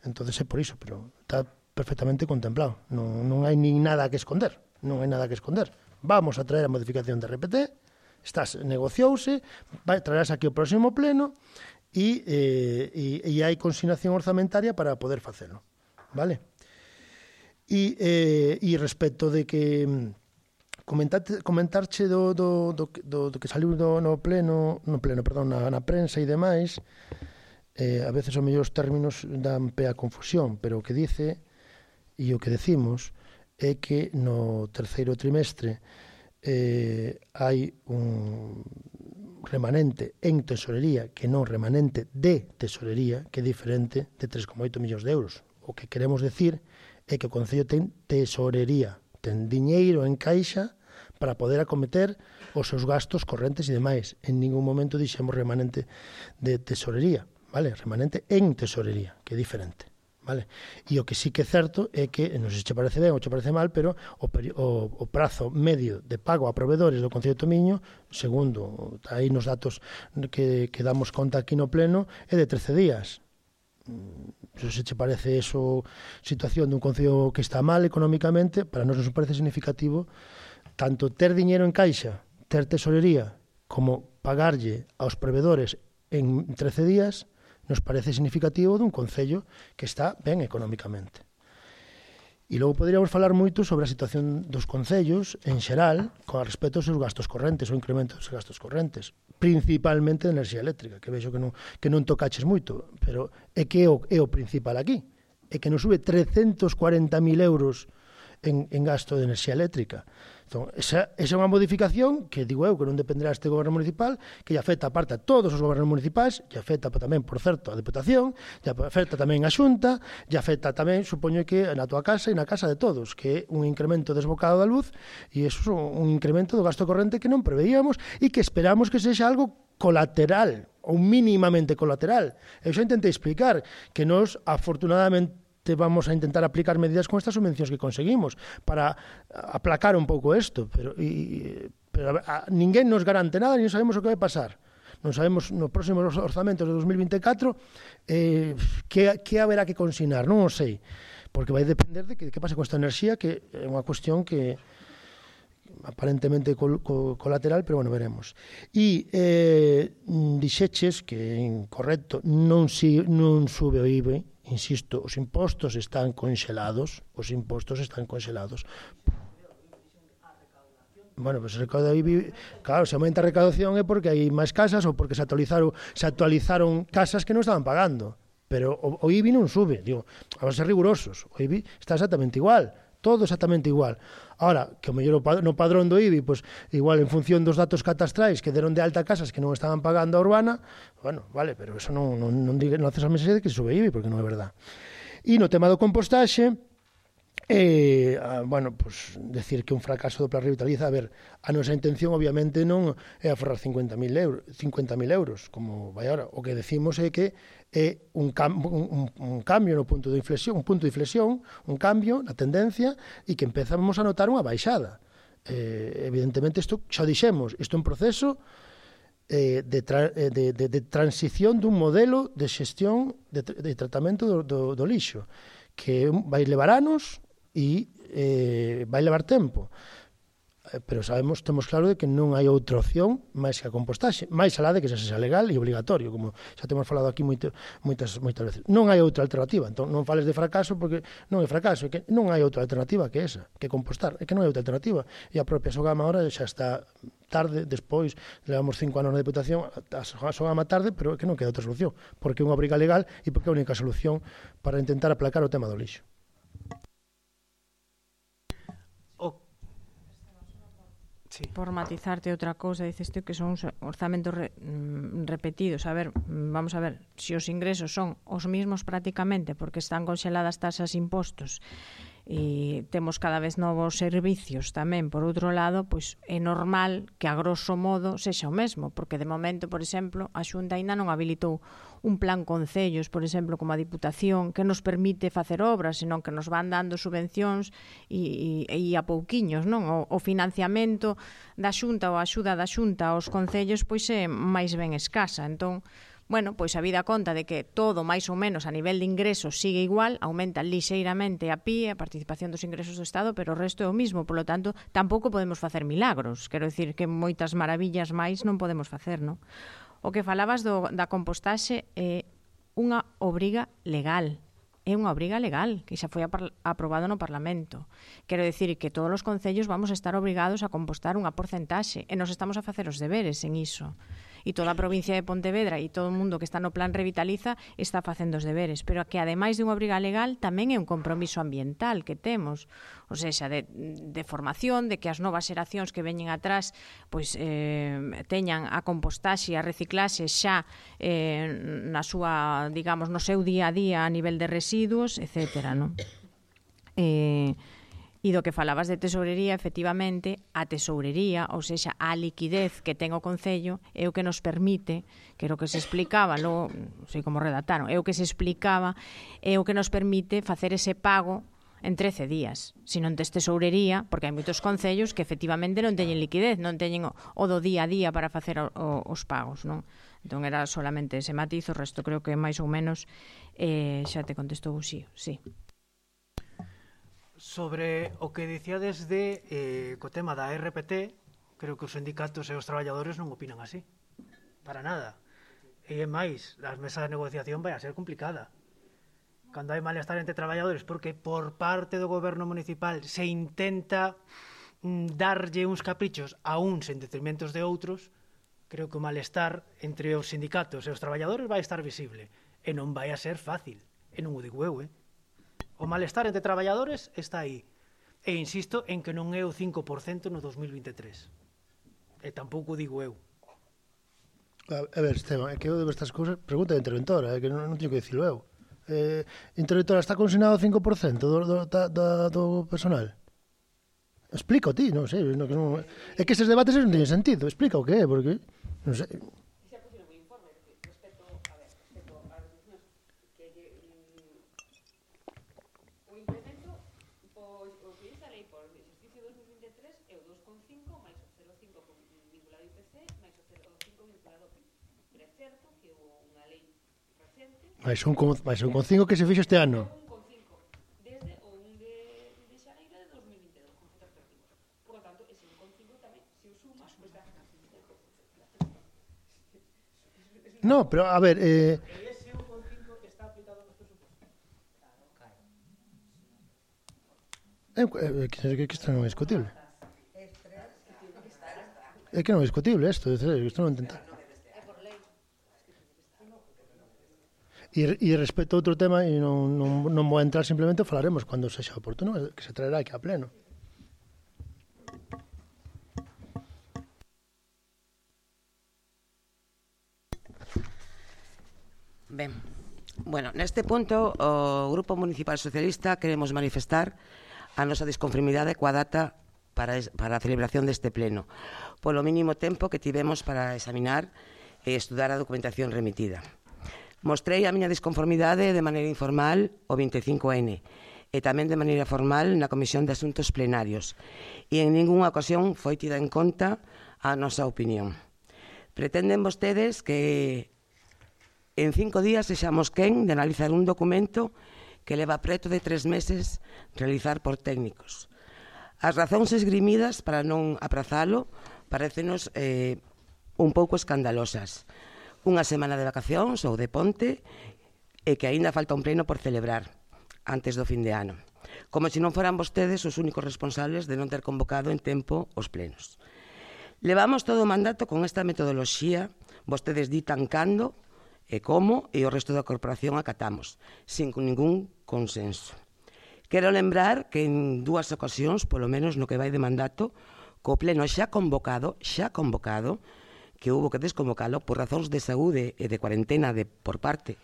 Entonces é por iso, pero está perfectamente contemplado, non hai nin nada que esconder, vamos a traer a modificación da RPT, negociouse, traerás aquí o próximo pleno e hai consignación orzamentaria para poder facelo, vale? E respecto de que comentarche do que saliu na prensa e demais, a veces os mellores términos dan pé a confusión, pero o que dice e o que decimos é que no terceiro trimestre hai un remanente en tesorería que non remanente de tesorería, que é diferente, de 3,8 millóns de euros. O que queremos decir é que o Concello ten tesorería, ten diñeiro en caixa para poder acometer os seus gastos correntes e demais. En ningún momento dixemos remanente de tesorería, vale? Remanente en tesorería, que é diferente. Vale? E o que sí que é certo é que, non sei se che parece ben ou che parece mal, pero o prazo medio de pago a proveedores do Concello de Tomiño, segundo aí nos datos que damos conta aquí no pleno, é de 13 días. Non sei se che parece eso situación dun Concello que está mal económicamente, para nós non parece significativo tanto ter diñeiro en caixa, ter tesorería, como pagarlle aos proveedores en 13 días, nos parece significativo dun concello que está ben económicamente. E logo poderíamos falar moito sobre a situación dos concellos en xeral con respecto aos seus gastos correntes, o incremento dos gastos correntes, principalmente de enerxía eléctrica, que vexo que non tocaches moito, pero é que é o principal aquí, é que nos sube 340.000 euros en gasto de enerxía eléctrica. Entón, esa é unha modificación que, digo eu, que non dependerá deste goberno municipal, que lle afecta aparte a todos os gobernos municipais, lle afecta tamén, por certo, a Deputación, lle afecta tamén a Xunta, lle afecta tamén, supoño que na tua casa e na casa de todos, que é un incremento desbocado da luz, e iso é un incremento do gasto corrente que non preveíamos e que esperamos que sexa algo colateral, ou mínimamente colateral. Eu xa intentei explicar que nos, afortunadamente, vamos a intentar aplicar medidas con estas subvencións que conseguimos para aplacar un pouco isto, pero ninguén nos garante nada, nin sabemos o que vai pasar. Non sabemos nos próximos orzamentos de 2024 que haberá que consignar, non o sei, porque vai depender de que pase con esta enerxía, que é unha cuestión que aparentemente colateral, pero bueno, veremos. E dixeches que é incorrecto, non sube o IBE. Insisto, os impostos están conxelados. Bueno, pues se recauda o IBI, claro, se aumenta a recaudación é porque hai máis casas ou porque se actualizaron casas que non estaban pagando. Pero o IBI non sube, digo, vamos a ser rigurosos, o IBI está exactamente igual, todo exactamente igual. Ahora, que o mellor no padrón do IBI, pues, igual en función dos datos catastrais que deron de alta casas que non estaban pagando a urbana, bueno, vale, pero eso non haces a mensaxe de que sube IBI, porque non é verdad. E no tema do compostaxe, bueno, pues, decir que un fracaso do Plan Revitaliza, a ver, a nosa intención obviamente non é aforrar 50.000 euros, como vai ahora. O que decimos é que é un cambio no punto de inflexión, un cambio na tendencia, e que empezamos a notar unha baixada. Evidentemente, isto xa dixemos, isto é un proceso de transición dun modelo de xestión de tratamento do lixo, que vai levar anos e vai levar tempo, pero temos claro de que non hai outra opción máis que a compostaxe, máis alá de que sexa legal e obligatorio, como xa temos falado aquí moitas veces. Non hai outra alternativa, entón non fales de fracaso, porque non é fracaso, é que non hai outra alternativa que esa, que compostar, é que non hai outra alternativa, e a propia Sogama ahora xa está tarde, despois, levamos 5 anos na Deputación, a Sogama tarde, pero é que non queda outra solución, porque é unha obriga legal e porque é a única solución para intentar aplacar o tema do lixo. Sí. Por matizarte outra cousa, dices tú que son orzamentos repetidos. A ver, vamos a ver, se os ingresos son os mismos prácticamente porque están conxeladas tasas e impostos e temos cada vez novos servicios tamén, por outro lado, pois é normal que a grosso modo sexa o mesmo, porque de momento, por exemplo, a Xunta aínda non habilitou un plan concellos, por exemplo, como a Diputación, que nos permite facer obras, senón que nos van dando subvencións e a pouquiños, non? O financiamento da Xunta ou a axuda da Xunta aos concellos pois é máis ben escasa. Entón, bueno, pois a vida conta de que todo máis ou menos a nivel de ingresos sigue igual, aumenta lixeiramente a PIE, a participación dos ingresos do Estado, pero o resto é o mismo, polo tanto, tampouco podemos facer milagros. Quero dicir que moitas maravillas máis non podemos facer, non? O que falabas da compostaxe é unha obriga legal. É unha obriga legal que xa foi aprobado no Parlamento. Quero dicir que todos os concellos vamos a estar obrigados a compostar unha porcentaxe e nos estamos a facer os deberes en iso. E toda a provincia de Pontevedra e todo o mundo que está no Plan Revitaliza está facendo os deberes, pero que ademais de unha obriga legal tamén é un compromiso ambiental que temos, ou seja, de formación, de que as novas xeracións que veñen atrás pois teñan a compostaxe e a reciclaxe xa na súa, digamos, no seu día a día a nivel de residuos, etcétera, non? E do que falabas de tesourería, efectivamente, a tesourería, ou seja, a liquidez que ten o Concello, é o que nos permite, que era o que se explicaba, logo, non sei como redactaron, é o que se explicaba, é o que nos permite facer ese pago en 13 días. Se non tes tesourería, porque hai moitos concellos que efectivamente non teñen liquidez, non teñen o do día a día para facer os pagos, non? Entón era solamente ese matiz, o resto creo que máis ou menos xa te contestou o sí. Sobre o que dicíades co tema da RPT, creo que os sindicatos e os traballadores non opinan así, para nada. E é máis, as mesas de negociación vai a ser complicada. Cando hai malestar entre traballadores, porque por parte do goberno municipal se intenta darlle uns caprichos a uns en detrimentos de outros, creo que o malestar entre os sindicatos e os traballadores vai estar visible. E non vai a ser fácil. E non o digo eu, O malestar entre traballadores está aí. E insisto en que non é o 5% no 2023. E tampouco digo eu. A ver, Esteban, é que eu de estas cousas pregunta a interventora, é que non teño que dicilo eu. Interventora, está consignado o 5% do personal? Explica ti, non sei. É que eses debates non teñen sentido. Explica o que é, porque non sei. Mais un con 5 que se fixo este ano. Desde o 1 de xaneiro de 2022, con efectos retroactivos. Por lo tanto, ese 1,5 tamén, se o sumas, pues da. No, pero a ver, ese 1,5 está aplicado nos presupostos. que isto non é discutible. É que non é discutible isto non entendo. E respecto a outro tema, e non vou entrar, simplemente falaremos cando sexa oportuno, que se traerá aquí a pleno. Ben, bueno, neste punto o Grupo Municipal Socialista queremos manifestar a nosa disconformidade coa data para a celebración deste pleno, polo mínimo tempo que tivemos para examinar e estudar a documentación remitida. Mostrei a miña disconformidade de maneira informal o 25N e tamén de maneira formal na Comisión de Asuntos Plenarios e en ningunha ocasión foi tida en conta a nosa opinión. Pretenden vostedes que en 5 días sexamos quen de analizar un documento que leva preto de 3 meses realizar por técnicos. As razóns esgrimidas para non aprazalo parécenos un pouco escandalosas. Unha semana de vacacións ou de ponte e que aínda falta un pleno por celebrar antes do fin de ano. Como se non foran vostedes os únicos responsables de non ter convocado en tempo os plenos. Levamos todo o mandato con esta metodoloxía, vostedes ditan cando e como e o resto da corporación acatamos, sin ningún consenso. Quero lembrar que en 2 ocasións, polo menos no que vai de mandato, co pleno xa convocado, que hubo que desconvocalo por razóns de saúde e de cuarentena por parte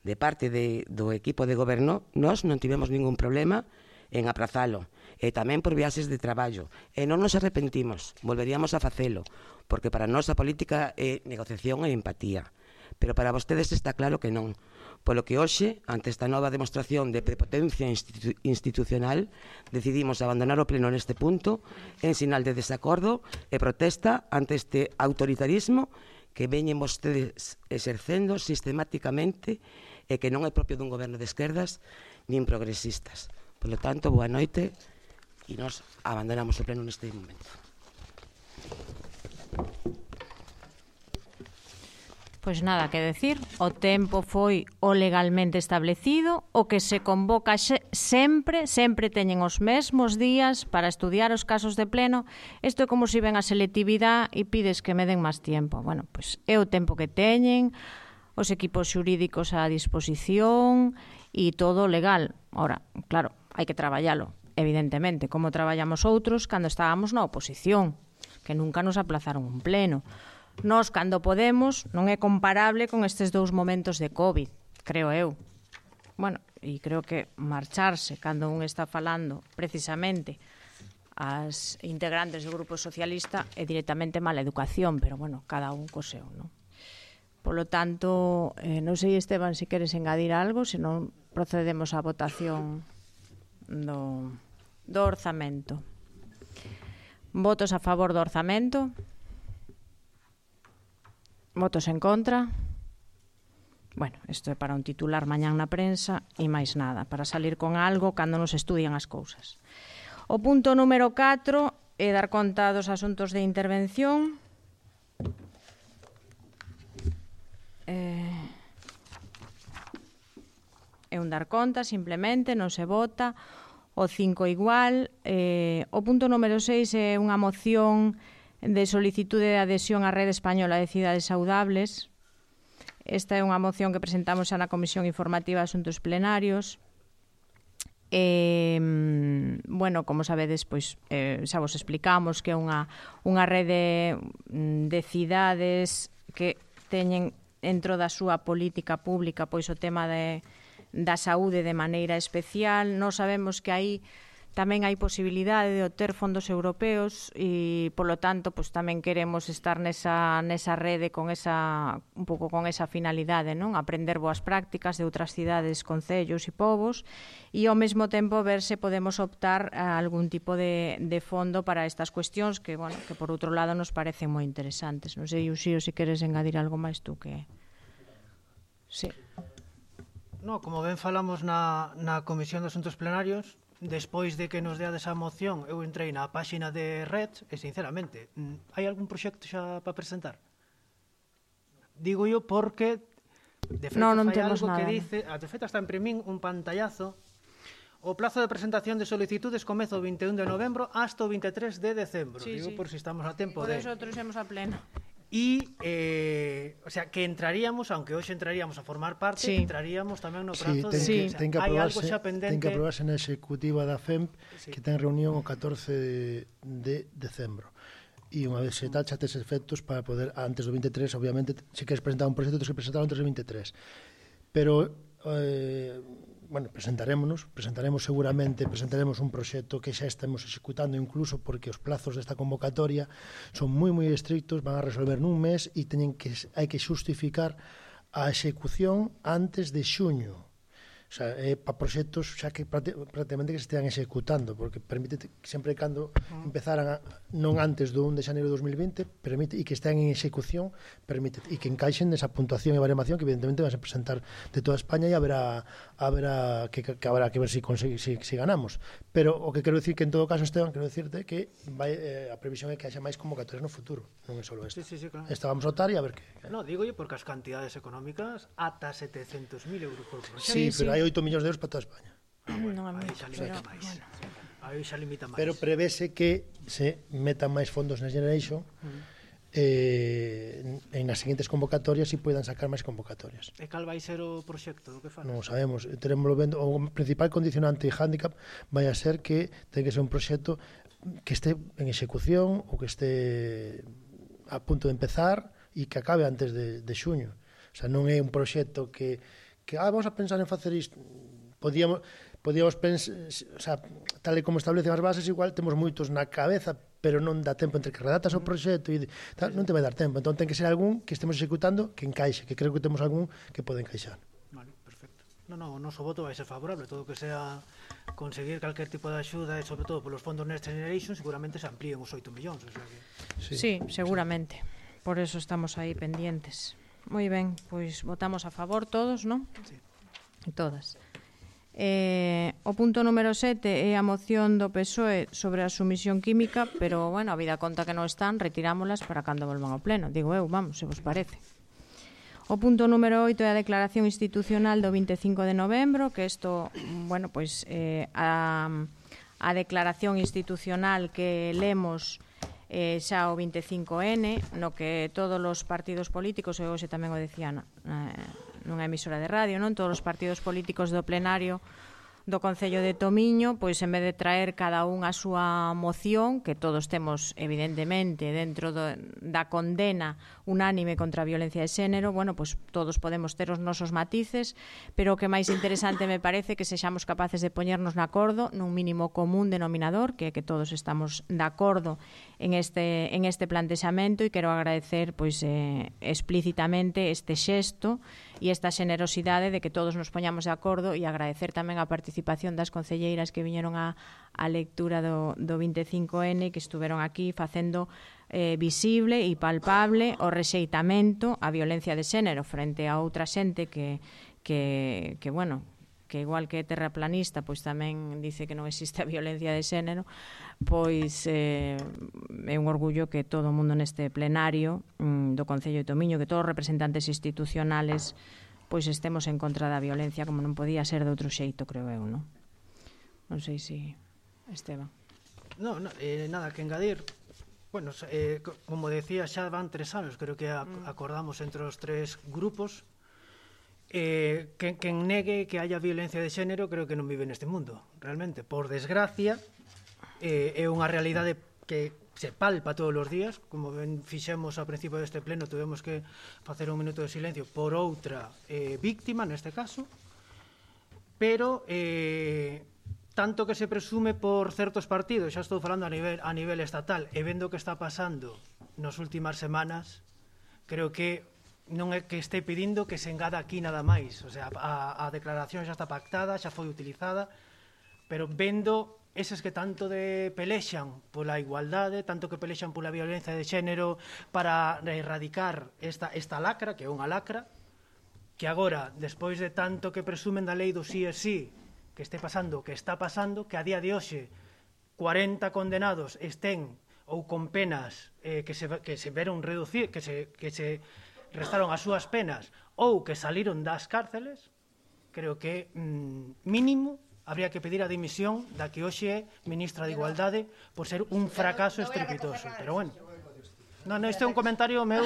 do equipo de goberno, nós non tivemos ningún problema en aprazalo, e tamén por viaxes de traballo, e non nos arrepentimos, volveríamos a facelo, porque para nós a política é negociación e empatía, pero para vostedes está claro que non, polo que hoxe, ante esta nova demostración de prepotencia institucional, decidimos abandonar o pleno neste punto en sinal de desacordo e protesta ante este autoritarismo que veñen vostedes exercendo sistemáticamente e que non é propio dun goberno de esquerdas nin progresistas. Por lo tanto, boa noite e nos abandonamos o pleno neste momento. Pois nada que decir, o tempo foi o legalmente establecido, o que se convoca sempre teñen os mesmos días para estudiar os casos de pleno. Isto é como se ven a selectividade e pides que me den máis tempo. Bueno, pois é o tempo que teñen, os equipos xurídicos á disposición e todo legal. Ora, claro, hai que traballalo, evidentemente, como traballamos outros cando estábamos na oposición, que nunca nos aplazaron un pleno. Nós, cando podemos, non é comparable con estes 2 momentos de COVID, creo eu. Bueno, e creo que marcharse cando un está falando precisamente as integrantes do Grupo Socialista é directamente mala educación, pero bueno, cada un co seu, non? Polo tanto, non sei, Esteban, se queres engadir algo, senón procedemos á votación do orzamento. Votos a favor do orzamento? Votos en contra? Bueno, isto é para un titular mañán na prensa e máis nada, para salir con algo cando nos estudian as cousas. O punto número 4 é dar conta dos asuntos de intervención. é un dar conta, simplemente, non se vota. O 5 igual. O punto número 6 é unha moción de solicitude de adhesión á Rede Española de Cidades Saudables. Esta é unha moción que presentamos xa na Comisión Informativa de Asuntos Plenarios. Bueno, como sabedes, pois xa vos explicamos que é unha rede de cidades que teñen dentro da súa política pública pois o tema da saúde de maneira especial. Nós sabemos que aí tamén hai posibilidade de obter fondos europeos e, polo tanto, pois tamén queremos estar nesa rede con un pouco con esa finalidade, non? Aprender boas prácticas de outras cidades, concellos e povos e, ao mesmo tempo, ver se podemos optar a algún tipo de fondo para estas cuestións que, bueno, que por outro lado nos parecen moi interesantes. Non sei, Uxío, se queres engadir algo máis tú que... Sí. No, como ben falamos na Comisión de Asuntos Plenarios, despois de que nos deades a moción, eu entrei na páxina de Red e, sinceramente, hai algún proxecto xa para presentar? Digo yo porque, de feito, non fai temos algo nada, que dice, de feito, hasta imprimín un pantallazo. O plazo de presentación de solicitudes comeza o 21 de novembro hasta o 23 de decembro. Sí, Digo, sí. por si estamos a tempo Por de... eso trouxemos a pleno. E, o sea, que entraríamos, aunque hoxe entraríamos a formar parte, Sí. entraríamos tamén no prazo de... Sí. ten que hai algo aprobarse, xa pendente. ten que aprobarse na executiva da FEMP, Sí. que ten reunión o 14 de decembro. E unha vez se tal, xa tes efectos para poder, antes do 23, obviamente, se queres presentar un proxecto, tens que presentarlo antes do 23. Pero, bueno, presentaremos seguramente, presentaremos un proxecto que xa estamos executando, incluso porque os plazos desta convocatoria son moi estrictos, van a resolver nun mes e hai que xustificar a execución antes de xuño. O sea, para proxectos xa que prácticamente que se estean executando, porque permite sempre cando empezaran non antes do 1 de xaneiro de 2020, permite e que estean en execución, permite e que encaixen nesa puntuación e baremación que evidentemente van a presentar de toda España e haberá que habrá que ver si ganamos. Pero o que quero dicir que en todo caso, Esteban, quero dicirte que a previsión é que haxa máis convocatorias no futuro, non é só esta. Sí, claro. Esta vamos a votar e a ver que... No, digo yo porque as cantidades económicas ata 700.000 euros por proxecto. Sí, pero hai 8 millóns de euros para toda España. Aí xa limita máis. Aí xa limita máis. Pero prevese que se metan máis fondos na Generation en as seguintes convocatorias e poidan sacar máis convocatorias. E cal vai ser o proxecto do que fala? Non sabemos, teremoslo vendo, o principal condicionante e handicap vai a ser que ten que ser un proxecto que este en execución ou que este a punto de empezar e que acabe antes de xuño. O sea, non é un proxecto que vamos a pensar en facer isto. Podíamos pensar, o sea, tal e como establecen as bases, igual temos moitos na cabeza, pero non dá tempo entre que redactas o proxecto e tal, non te vai dar tempo. Entón ten que ser algún que estemos executando que encaixe, que creo que temos algún que pode encaixar. Vale, perfecto. No, o noso voto vai ser favorable. Todo o que sea conseguir calquer tipo de axuda e, sobre todo, polos fondos Next Generation, seguramente se amplíen os 8 millóns. O sea que... Sí, seguramente. Por eso estamos aí pendientes. Moi ben, pois votamos a favor todos, non? Sí. Todas. O punto número 7 é a moción do PSOE sobre a sumisión química, pero, bueno, a vida conta que non están, retirámolas para cando volvan ao pleno. Digo eu, vamos, se vos parece. O punto número 8 é a declaración institucional do 25 de novembro, que isto, bueno, pois a declaración institucional que lemos xa o 25N, no que todos os partidos políticos, e hoxe tamén o decían nunha emisora de radio, non, todos os partidos políticos do plenario do Concello de Tomiño, pois en vez de traer cada un a súa moción, que todos temos evidentemente dentro da condena unánime contra a violencia de xénero, bueno, pois todos podemos ter os nosos matices, pero o que máis interesante me parece que sexamos capaces de poñernos de acordo nun mínimo común denominador, que todos estamos de acordo en este plantexamento, e quero agradecer pois explícitamente este xesto e esta xenerosidade de que todos nos poñamos de acordo, e agradecer tamén a participación das concelleiras que viñeron a lectura do 25N, que estuveron aquí facendo visible e palpable o rexeitamento á violencia de xénero frente a outra xente que bueno, que igual que é terraplanista, pois tamén dice que non existe a violencia de xénero, pois é un orgullo que todo o mundo neste plenario do Concello de Tomiño, que todos os representantes institucionales pois estemos en contra da violencia como non podía ser de outro xeito, creo eu, non? Non sei se Esteban. No, nada que engadir. Bueno, como decía, xa van 3 anos, creo que acordamos entre os 3 grupos. Quen negue que haya violencia de xénero creo que non vive neste mundo, realmente. Por desgracia, é unha realidade que se palpa todos os días, como ben fixemos ao principio deste pleno, tuvemos que facer un minuto de silencio por outra víctima, neste caso, pero tanto que se presume por certos partidos, xa estou falando a nivel estatal, e vendo o que está pasando nas últimas semanas, creo que non é que este pedindo que se engada aquí nada máis, o sea, a declaración xa está pactada, xa foi utilizada, pero vendo eses que tanto pelexan pola igualdade, tanto que pelexan pola violencia de xénero para erradicar esta lacra, que é unha lacra, que agora, despois de tanto que presumen da lei do sí e sí, que este pasando o que está pasando, que a día de hoxe 40 condenados estén ou con penas que se veron reducir, que se restaron as súas penas ou que saliron das cárceles, creo que mínimo habría que pedir a dimisión da que hoxe é ministra de Igualdade por ser un fracaso estrepitoso. Pero bueno, isto é un comentario meu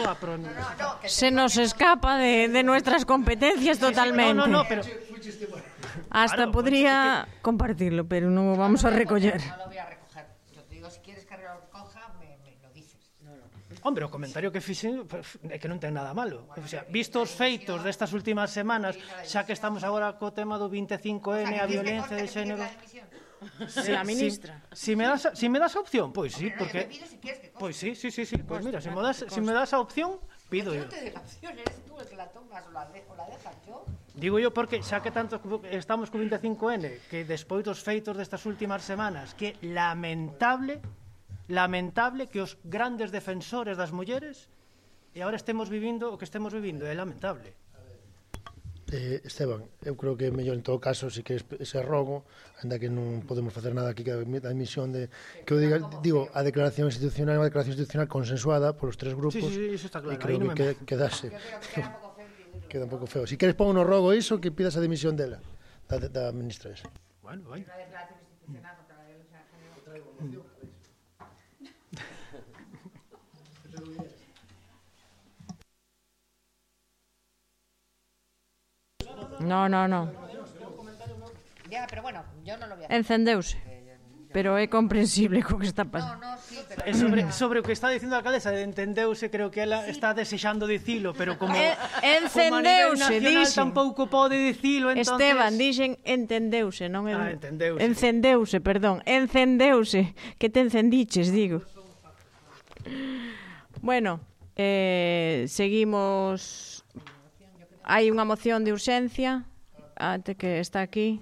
Se nos escapa de nuestras competencias totalmente. Pero hasta claro, podría compartirlo, pero non o vamos a recoller. No lo voy a recoger. Yo te digo, si quieres que lo recoja, me lo dices. Hombre, o comentario que fixen é que non ten nada malo. O sea, visto os feitos destas últimas semanas, xa que estamos agora co tema do 25N, a violencia de xénero... De la ministra. Si me das a opción, pois sí, porque... Pois sí. Pois mira, si me das a opción, pido yo. Yo no te doy la opción, eres tú el que la tomas o la dejas yo. Digo yo porque xa que tanto estamos co 25N, que despois dos feitos destas últimas semanas, que lamentable que os grandes defensores das mulleres e agora estemos vivindo o que estemos vivindo, é lamentable. Esteban, eu creo que é mellor en todo caso si que ese rogo, ainda que non podemos facer nada aquí que a emisión de que eu digo, a declaración institucional é unha declaración institucional consensuada polos 3 grupos. Sí, iso está claro. E creo que quedase. Queda un pouco feo. Si queres pon no rogo iso que pidas a dimisión dela, da ministra esa. Bueno, vai. Una declaración institucional contra la violencia de género. No. Ya, pero bueno, yo no lo voy a hacer. Encendeuse. Pero é comprensible co que está pasando. No, sí, pero... Sobre o que está dicindo a alcaldesa, entendeuse, creo que ela está desexando dicilo, pero como encendeuse, como a nivel nacional dixen. Tampouco pode dicilo, entonces... Esteban, dixen entendeuse, non entendeuse. Encendeuse, que te encendiches, digo. Bueno, seguimos. Hai unha moción de urxencia, ante que está aquí.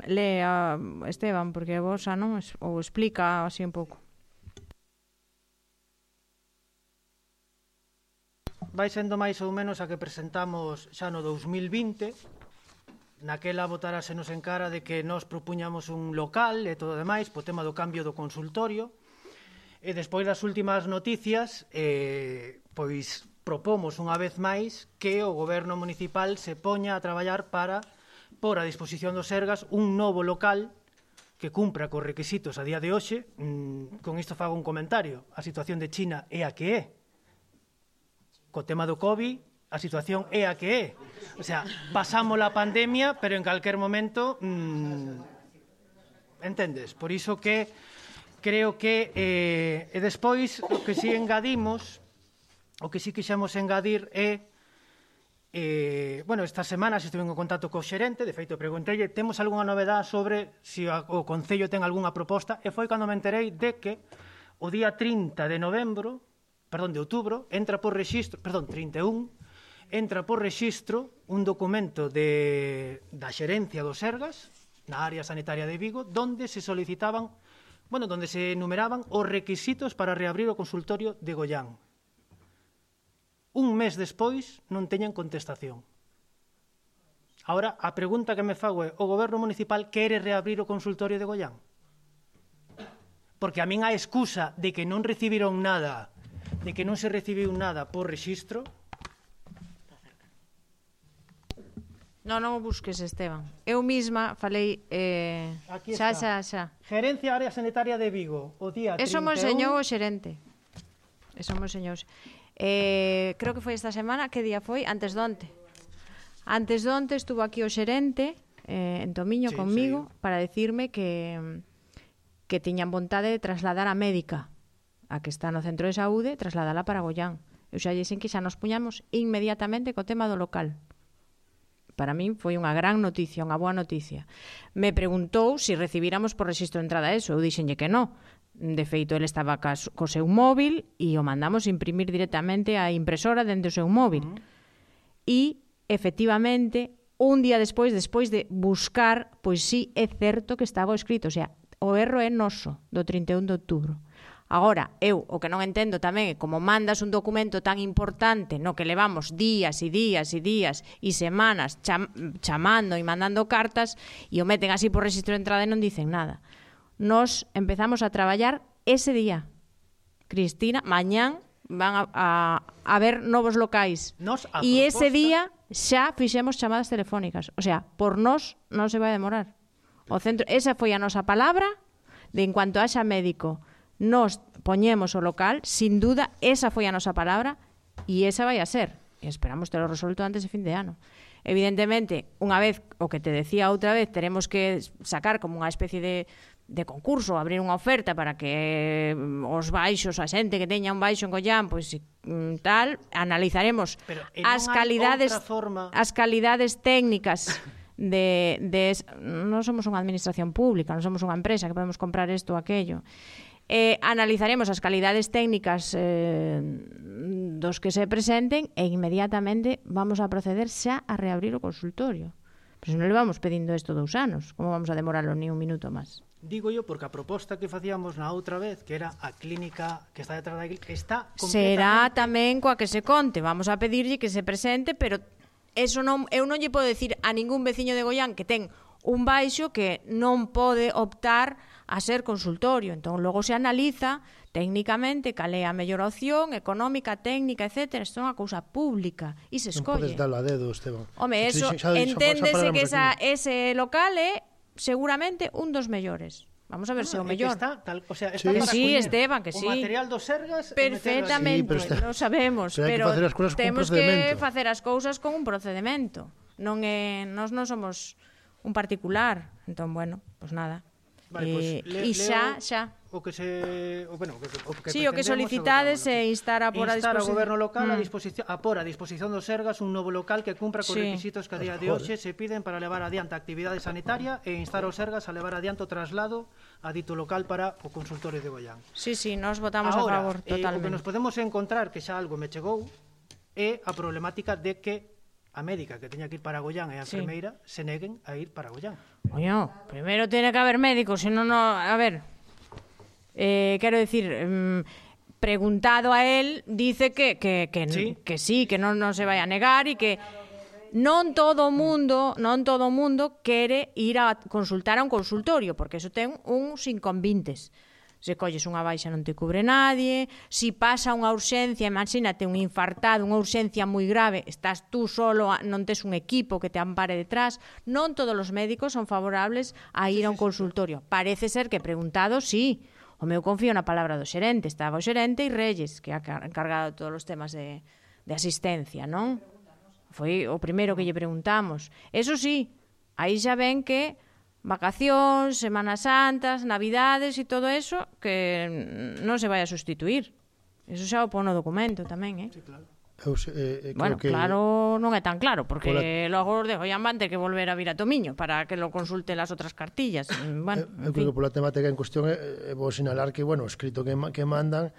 Lea, Esteban, porque vos xa non, ou explica así un pouco. Vai sendo máis ou menos a que presentamos xa no 2020. Naquela votárasenos en cara de que nós propuñamos un local e todo demais, po tema do cambio do consultorio. E despois das últimas noticias, pois propomos unha vez máis que o goberno municipal se poña a traballar para por a disposición dos Sergas un novo local que cumpra cos requisitos a día de hoxe. Con isto fago un comentario. A situación de China é a que é. Co tema do COVID, a situación é a que é. O sea, pasamos a pandemia, pero en calquer momento... entendes? Por iso que creo que... e despois, o que si engadimos, o que si quixemos engadir é... bueno, estas semanas estuve en contacto co xerente, de feito preguntei, temos algunha novedade sobre se o Concello ten algunha proposta, e foi cando me enterei de que o día 30 de outubro, entra por rexistro, 31, entra por rexistro un documento da xerencia dos Sergas, na área sanitaria de Vigo, donde se solicitaban, donde se enumeraban os requisitos para reabrir o consultorio de Goián. Un mes despois non teñen contestación. Ahora, a pregunta que me fago é: o goberno municipal quere reabrir o consultorio de Goián? Porque a min a excusa de que non recibiron nada, de que non se recibiu nada por rexistro, Non o busques, Esteban. Eu misma falei... Aquí xa. Gerencia Área Sanitaria de Vigo, o día 31... Eso mo enseñou o xerente. Creo que foi esta semana. Que día foi? Antes donte estuvo aquí o xerente en Tomiño conmigo para decirme que tiñan vontade de trasladar a médica a que está no centro de saúde, trasladala para Goián. Eu xa dixen que xa nos puñamos inmediatamente co tema do local. Para min foi unha gran noticia, unha boa noticia. Me preguntou se recibíramos por rexistro de entrada eso. Eu dixenlle que non. De feito, ele estaba co seu móvil e o mandamos imprimir directamente á impresora dende o seu móvil. E, efectivamente, un día despois de buscar, pois sí, é certo que estaba escrito. O sea, o erro é noso, do 31 de outubro. Agora, eu o que non entendo tamén é como mandas un documento tan importante no que levamos días e semanas chamando e mandando cartas e o meten así por rexistro de entrada e non dicen nada. Nos empezamos a traballar ese día. Cristina, mañán van a ver novos locais. E ese día xa fixemos chamadas telefónicas. O sea, por nós non se vai demorar. O centro, esa foi a nosa palabra de en cuanto haxa médico nos poñemos o local, sin duda, esa foi a nosa palabra e esa vai a ser. E esperamos ter o resolto antes de fin de ano. Evidentemente, unha vez, o que te decía outra vez, teremos que sacar como unha especie de concurso, abrir unha oferta para que os baixos, a xente que teña un baixo en Goián, pois tal, analizaremos as calidades técnicas non somos unha administración pública, non somos unha empresa que podemos comprar isto ou aquello. Analizaremos as calidades técnicas dos que se presenten e inmediatamente vamos a proceder xa a reabrir o consultorio. Pero se non le vamos pedindo isto 2 anos, como vamos a demorarlo ni un minuto máis? Digo yo porque a proposta que facíamos na outra vez, que era a clínica que está detrás da iglesia, está completamente... Será tamén coa que se conte. Vamos a pedirlle que se presente, pero eso non, eu non lle podo decir a ningún veciño de Goián que ten un baixo que non pode optar a ser consultorio. Entón, logo se analiza técnicamente cal é a mellor opción, económica, técnica, etc. Isto é unha cousa pública e se escolle. Non podes darlo a dedo, Esteban. Home, eso, enténdese que ese local é seguramente un dos mellores. Vamos a ver se o mellor. Está, o sea, está sí, Esteban, que sí. O material dos Sergas... Perfectamente, sí, lo sabemos. Pero temos que facer as cousas con un procedimento. Nós non somos un particular. Entón, bueno, pues nada. Vale, e xa. O que solicitades é instar a ao goberno local a por a disposición dos Sergas un novo local que cumpra cos requisitos que a día de hoxe se piden para levar adiante a actividade sanitaria e instar aos Sergas a levar adiante o traslado a dito local para o consultorio de Goián. Sí, nos votamos a favor totalmente. O que nos podemos encontrar, que xa algo me chegou, é a problemática de que a médica que teña que ir para Goián e a enfermeira se neguen a ir para Goián. Coño, primeiro tiene que haber médicos, senón a ver, quero decir, preguntado a él, dice que sí, que non se vai a negar e que non todo o mundo quere ir a consultar a un consultorio, porque eso ten uns inconvintes. Se colles unha baixa non te cubre nadie, si pasa unha urxencia, imagínate un infartado, unha urxencia moi grave, estás tú solo, non tes un equipo que te ampare detrás, non todos os médicos son favorables a ir a un consultorio. Parece ser que preguntado, sí, o meu confío na palabra do xerente, estaba o xerente e Reyes, que é encargado de todos os temas de asistencia, non? Foi o primeiro que lle preguntamos. Eso sí, aí xa ven que vacacións, Semanas Santas, Navidades e todo eso que non se vai a sustituir. Eso xa o pon no documento tamén, Sí, claro. Bueno, claro, non é tan claro, porque logo de Goián van ter que volver a vir a Tomiño para que lo consulten las outras cartillas. Bueno, eu creo que pola temática en cuestión é vou sinalar que, bueno, o escrito que mandan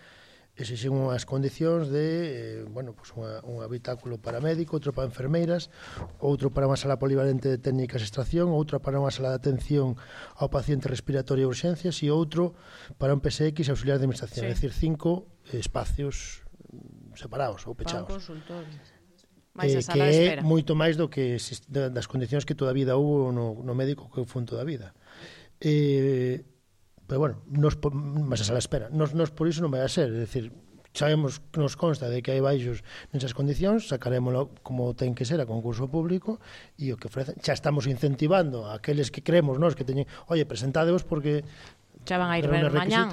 exixen unhas condicións de, pues un habitáculo para médico, outro para enfermeiras, outro para unha sala polivalente de técnicas de extracción, outro para unha sala de atención ao paciente respiratorio e urxencias e outro para un PSX auxiliar de administración, é dicir, 5 espacios separados ou pechados. Que é moito máis do que das condicións que toda a vida houve no médico que foi toda a vida. Pero bueno, mas a sala espera. Nos por iso non vai a ser, é dicir, sabemos que nos consta de que hai baixos nesas condicións, sacarémoslo como ten que ser a concurso público e o que ofrecen, xa estamos incentivando a aqueles que creemos nós que teñen, oye, presentádevos porque xa van a ir ver mañán,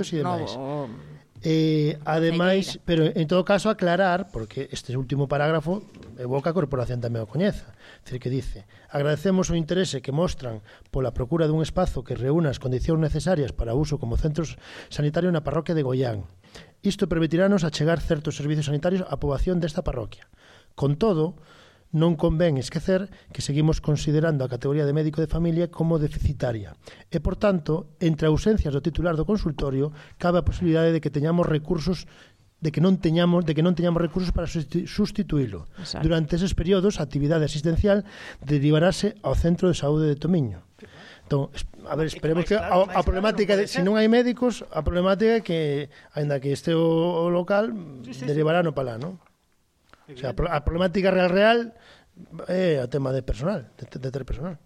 ademais, pero en todo caso aclarar, porque este último parágrafo evoca a corporación tamén o coñeza, é dicir, que dice: agradecemos o interese que mostran pola procura dun espazo que reúna as condicións necesarias para uso como centro sanitario na parroquia de Goián. Isto permitirános achegar certos servicios sanitarios á poboación desta parroquia. Con todo, non convén esquecer que seguimos considerando a categoría de médico de familia como deficitaria e, por tanto, entre ausencias do titular do consultorio cabe a posibilidade de que teñamos recursos de que non teñamos recursos para sustituílo. Exacto. Durante eses períodos, a actividade asistencial derivarase ao Centro de Saúde de Tomiño. Entón, a ver, esperemos que a problemática de, se non hai médicos, a problemática é que, aínda que este o local, derivará no palá, non? O sea, a problemática real é o tema de personal, de ter personal.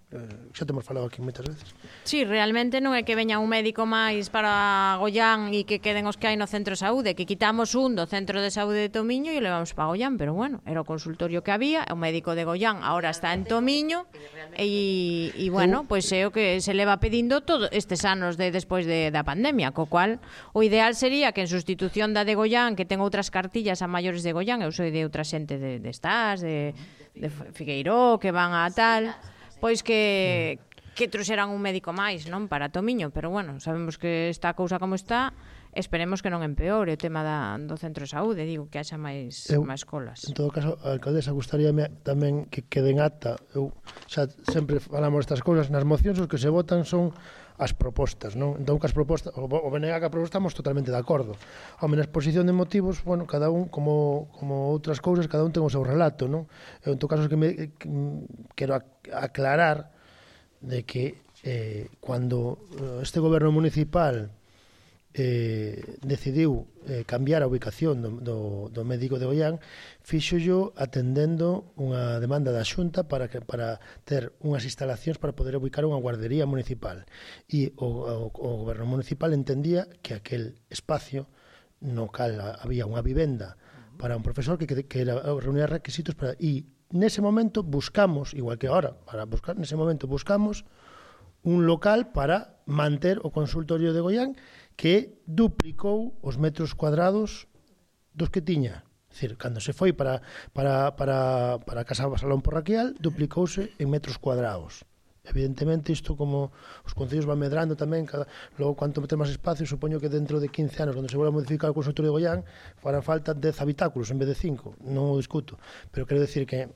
Xa temos falado aquí moitas veces. Sí, realmente non é que veña un médico máis para Goián e que queden os que hai no centro de saúde, que quitamos un do centro de saúde de Tomiño e o levamos para Goián, pero bueno, era o consultorio que había, o médico de Goián ahora está en Tomiño e bueno, pois é o que se leva pedindo todos estes anos despois da pandemia, co cual o ideal sería que en sustitución da de Goián, que ten outras cartillas a maiores de Goián, eu sou de outra xente de Estás, de Figueiró, que van a tal, pois que trouxeran un médico máis, non, para Tomiño, pero bueno, sabemos que está a cousa como está, esperemos que non empeore o tema do centro de saúde, digo, que haxa máis colas. En todo caso, a alcaldesa gustaríame tamén que queden acta, eu xa sempre falamos estas cousas, nas mocións os que se votan son as propostas, non? Entón, que as propostas, o BNG que a proposta estamos totalmente de acordo. Home, na exposición de motivos, bueno, cada un, como outras cousas, cada un ten o seu relato, non? Eu, en todo caso, que quero aclarar de que cando este goberno municipal decidiu cambiar a ubicación do médico de Goián, fíxollo atendendo unha demanda da Xunta para ter unhas instalacións para poder ubicar unha guardería municipal, e o goberno municipal entendía que aquel espacio no cal había unha vivenda para un profesor que reunía requisitos para, e nese momento buscamos, igual que ahora, nese momento buscamos un local para manter o consultorio de Goián, que duplicou os metros cuadrados dos que tiña. É dicir, cando se foi para a Casa Salón Parroquial, duplicouse en metros cuadrados. Evidentemente, isto como os concellos van medrando tamén, logo, quanto meter máis espacio, supoño que dentro de 15 anos, cando se volva a modificar o consultorio de Goián, farán falta 10 habitáculos en vez de 5. Non o discuto. Pero quero decir que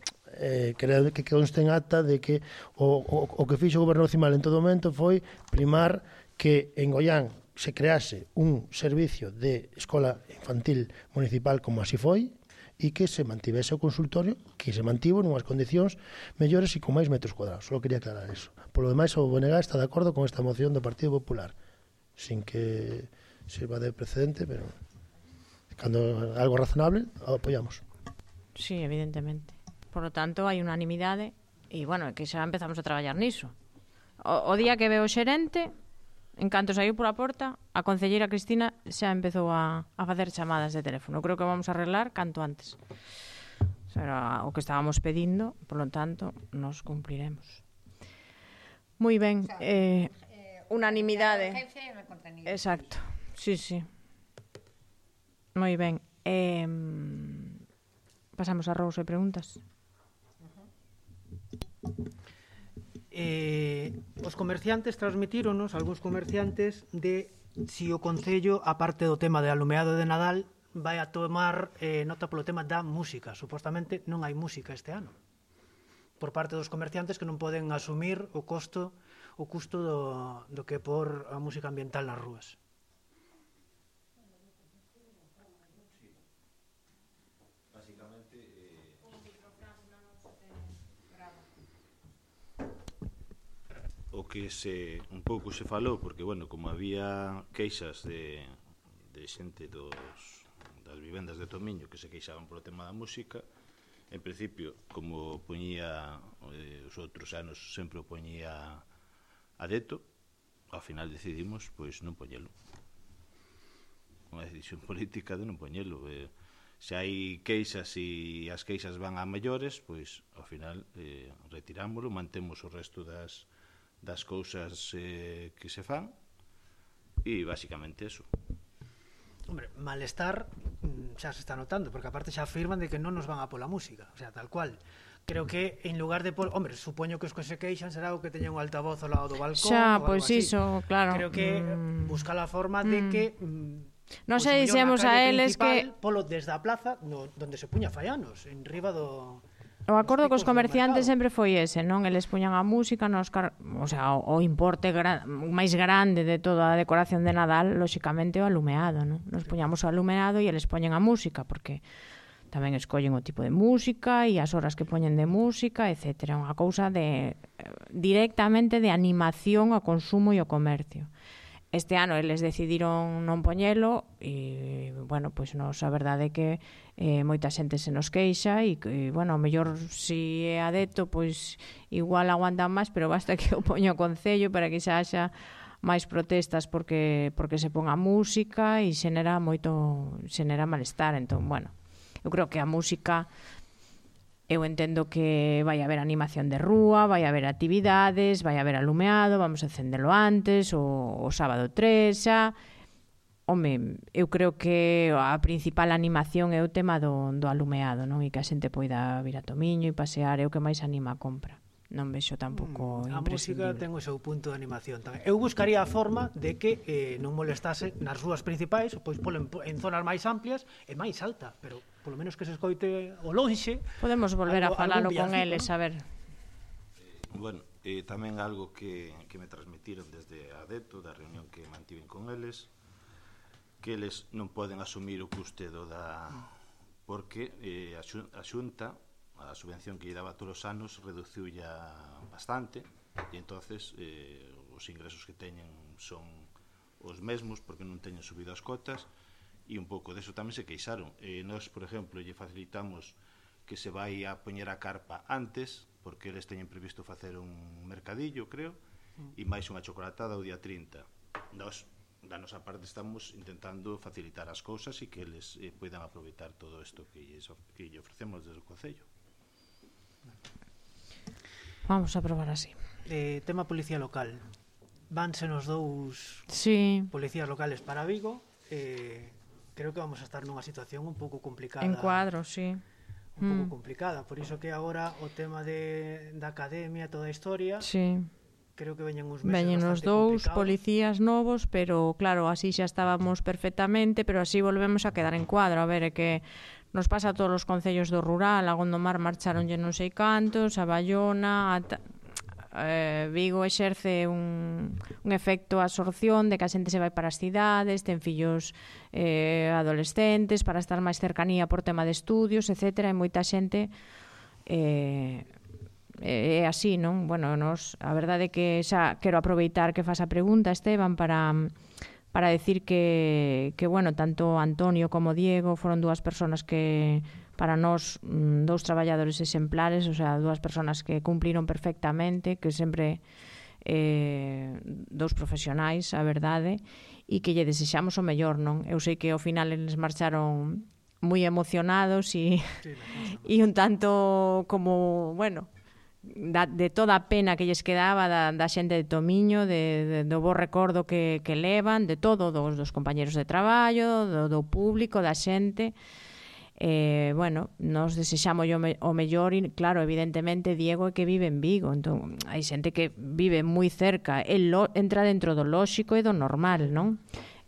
conste en acta de que o que fixo o goberno municipal en todo momento foi primar que en Goián se crease un servicio de escola infantil municipal como así foi, e que se mantivese o consultorio, que se mantivo nunhas condicións mellores e con máis metros cuadrados. Só quería aclarar eso. Por lo demais, o BNG está de acordo con esta moción do Partido Popular, sin que sirva de precedente, pero cando algo razonable, apoiamos. Sí, evidentemente. Por lo tanto, hai unanimidade e, bueno, que xa empezamos a traballar niso. O día que veo o xerente, en canto saiu pola porta, a concelleira Cristina xa empezou a facer chamadas de teléfono. Creo que vamos a arreglar canto antes. Era o que estábamos pedindo, por lo tanto, nos cumpliremos. Moi ben. Unanimidade. Exacto. Sí, sí. Moi ben. Pasamos a rousa e preguntas. Os comerciantes transmitíronos, algúns comerciantes, de si o Concello, aparte do tema de alumeado de Nadal, vai a tomar nota polo tema da música. Supostamente non hai música este ano, por parte dos comerciantes que non poden asumir o custo do que por a música ambiental nas rúas. O que un pouco se falou, porque, bueno, como había queixas de xente das vivendas de Tomiño que se queixaban polo tema da música, en principio, como poñía os outros anos, sempre o poñía a deto, ao final decidimos, pois, non poñelo. unha decisión política de non poñelo. Se hai queixas e as queixas van a maiores, pois ao final retirámoslo, mantemos o resto das cousas que se fan e basicamente eso. Hombre, malestar xa se está notando, porque aparte xa afirman de que non nos van a pola música, o sea, tal cual. Creo que en lugar de hombre, supoño que os que se queixan será o que teña un altavoz ao lado do balcón xa, ou pois algo así. iso, claro. Creo que busca a forma de que non pois, sei, dixemos a eles que polo desde a plaza donde se puña faianos, en riba do o acordo cos picos do comerciantes mercado. sempre foi ese, non? Eles puñan a música, o sea, o importe máis grande de toda a decoración de Nadal, lóxicamente o alumeado, non? Nos puñamos o alumeado e eles poñen a música, porque tamén escollen o tipo de música e as horas que poñen de música, etcétera. Unha cousa directamente de animación ao consumo e ao comercio. Este ano eles decidiron non poñelo e, bueno, pois nos a verdade é que moita xente se nos queixa e bueno, ao mellor si é adepto, pois igual aguantan máis, pero basta que o poña o Concello para que xa haxa máis protestas porque se ponga música e xenera malestar. Entón, bueno, eu creo que a música, eu entendo que vai haber animación de rúa, vai haber actividades, vai haber alumeado, vamos a encendelo antes, o sábado 3 xa. Home, eu creo que a principal animación é o tema do alumeado, non? E que a xente poida vir a Tomiño e pasear, é o que máis anima a compra. Non vexo tampouco a música imprescindible. ten o seu punto de animación tamén. Eu buscaría a forma de que non molestase nas rúas principais, pois polo en zonas máis amplias e máis alta, pero polo menos que se escoite o lonxe. Podemos volver a falalo con eles, a ver. Bueno, tamén algo que me transmitiron desde adepto da reunión que mantiven con eles, que eles non poden asumir o custe porque a Xunta, a subvención que lle daba todos os anos, reduciu ya bastante e entonces os ingresos que teñen son os mesmos porque non teñen subido as cotas e un pouco deso tamén se queixaron. Nós, por exemplo, lle facilitamos que se vai a poñer a carpa antes porque eles teñen previsto facer un mercadillo, creo, e máis unha chocolatada o día 30. Nós, da nosa parte, estamos intentando facilitar as cousas e que eles poidan aproveitar todo isto que lle ofrecemos desde o Concello. Vamos a probar así. Tema policía local. Vanse nos dous policías locales para Vigo. Creo que vamos a estar nunha situación un pouco complicada. En cuadro, sí. Un pouco complicada. Por iso que agora o tema da academia, toda a historia... Sí. Creo que veñen uns meses veñen os dous policías novos, pero claro, así xa estábamos perfectamente, pero así volvemos a quedar en cuadro. A ver, é que nos pasa a todos os concellos do rural. A Gondomar marcharonlle non sei cantos, a Bayona, Vigo exerce un efecto absorción de que a xente se vai para as cidades, ten fillos adolescentes para estar máis cercanía por tema de estudios, etcétera, e moita xente é así, non? Bueno, a verdade é que xa quero aproveitar que fas a pregunta, Esteban, para decir que bueno, tanto Antonio como Diego foron dúas persoas que para nós dous traballadores exemplares, o sea, dúas persoas que cumpliron perfectamente, que sempre dous profesionais, a verdade, e que lle desexamos o mellor, non? Eu sei que ao final eles marcharon moi emocionados e un tanto como, bueno, de toda a pena que lles quedaba da xente de Tomiño, do bo recordo que levan, de todo, dos compañeros de traballo, do público, da xente. Bueno, nos desexamos o mellor e, claro, evidentemente, Diego é que vive en Vigo, entón hai xente que vive moi cerca, entra dentro do lóxico e do normal, non?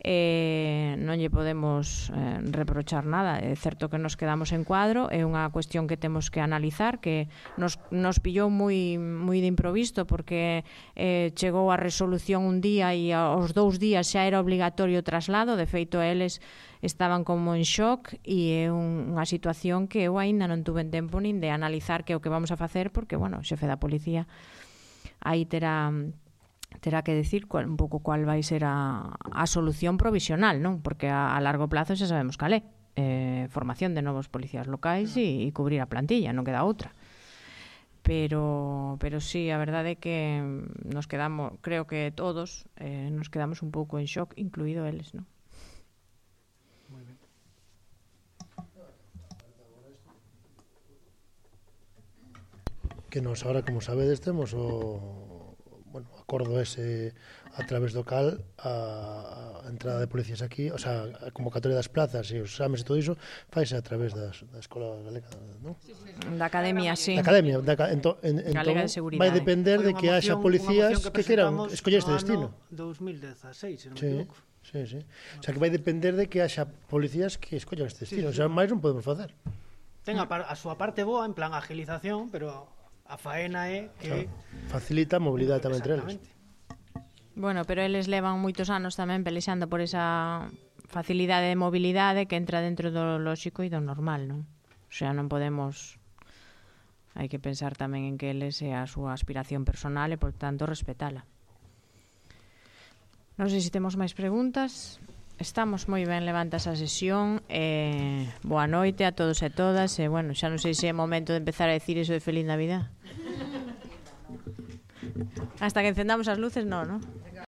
Non lle podemos reprochar nada. É certo que nos quedamos en cuadro, é unha cuestión que temos que analizar, que nos pillou moi de improvisto porque chegou a resolución un día e aos 2 días xa era obligatorio o traslado. De feito, eles estaban como en shock e é unha situación que eu aínda non tuve tempo nin de analizar que é o que vamos a facer, porque, bueno, o xefe da policía aí terá que decir un pouco cual vai ser a solución provisional, non? Porque a largo plazo xa sabemos cal é. Formación de novos policías locais e cubrir a plantilla, non queda outra. Pero sí, a verdade é que nos quedamos, creo que todos nos quedamos un pouco en shock, incluído eles, non? Que nos ahora, como sabedes, temos o acordo ese a través do cal a entrada de policías aquí, o sea, a convocatoria das plazas e os exames e todo iso faise a través da Escola Galega, non? Da Academia, sí. Da Academia, Galega de Seguridade. vai depender de que haxa policías que queran escoller este destino. 2016, se non me Sí, equivoco. sí, sí. O sea, que vai depender de que haxa policías que escollan este destino, o sea, máis non podemos facer. Ten a súa parte boa, en plan agilización, pero a faena é que... Facilita a mobilidade tamén entre eles. Exactamente. Bueno, pero eles levan moitos anos tamén pelexando por esa facilidade de mobilidade que entra dentro do lóxico e do normal, non? O sea, non podemos... Hai que pensar tamén en que eles é a súa aspiración personal e, por tanto, respetala. Non sei se temos máis preguntas. Estamos moi ben, levanta esa sesión. Boa noite a todos e todas. E, bueno, xa non sei se é momento de empezar a decir eso de Feliz Navidad. Hasta que encendamos as luces, non, non?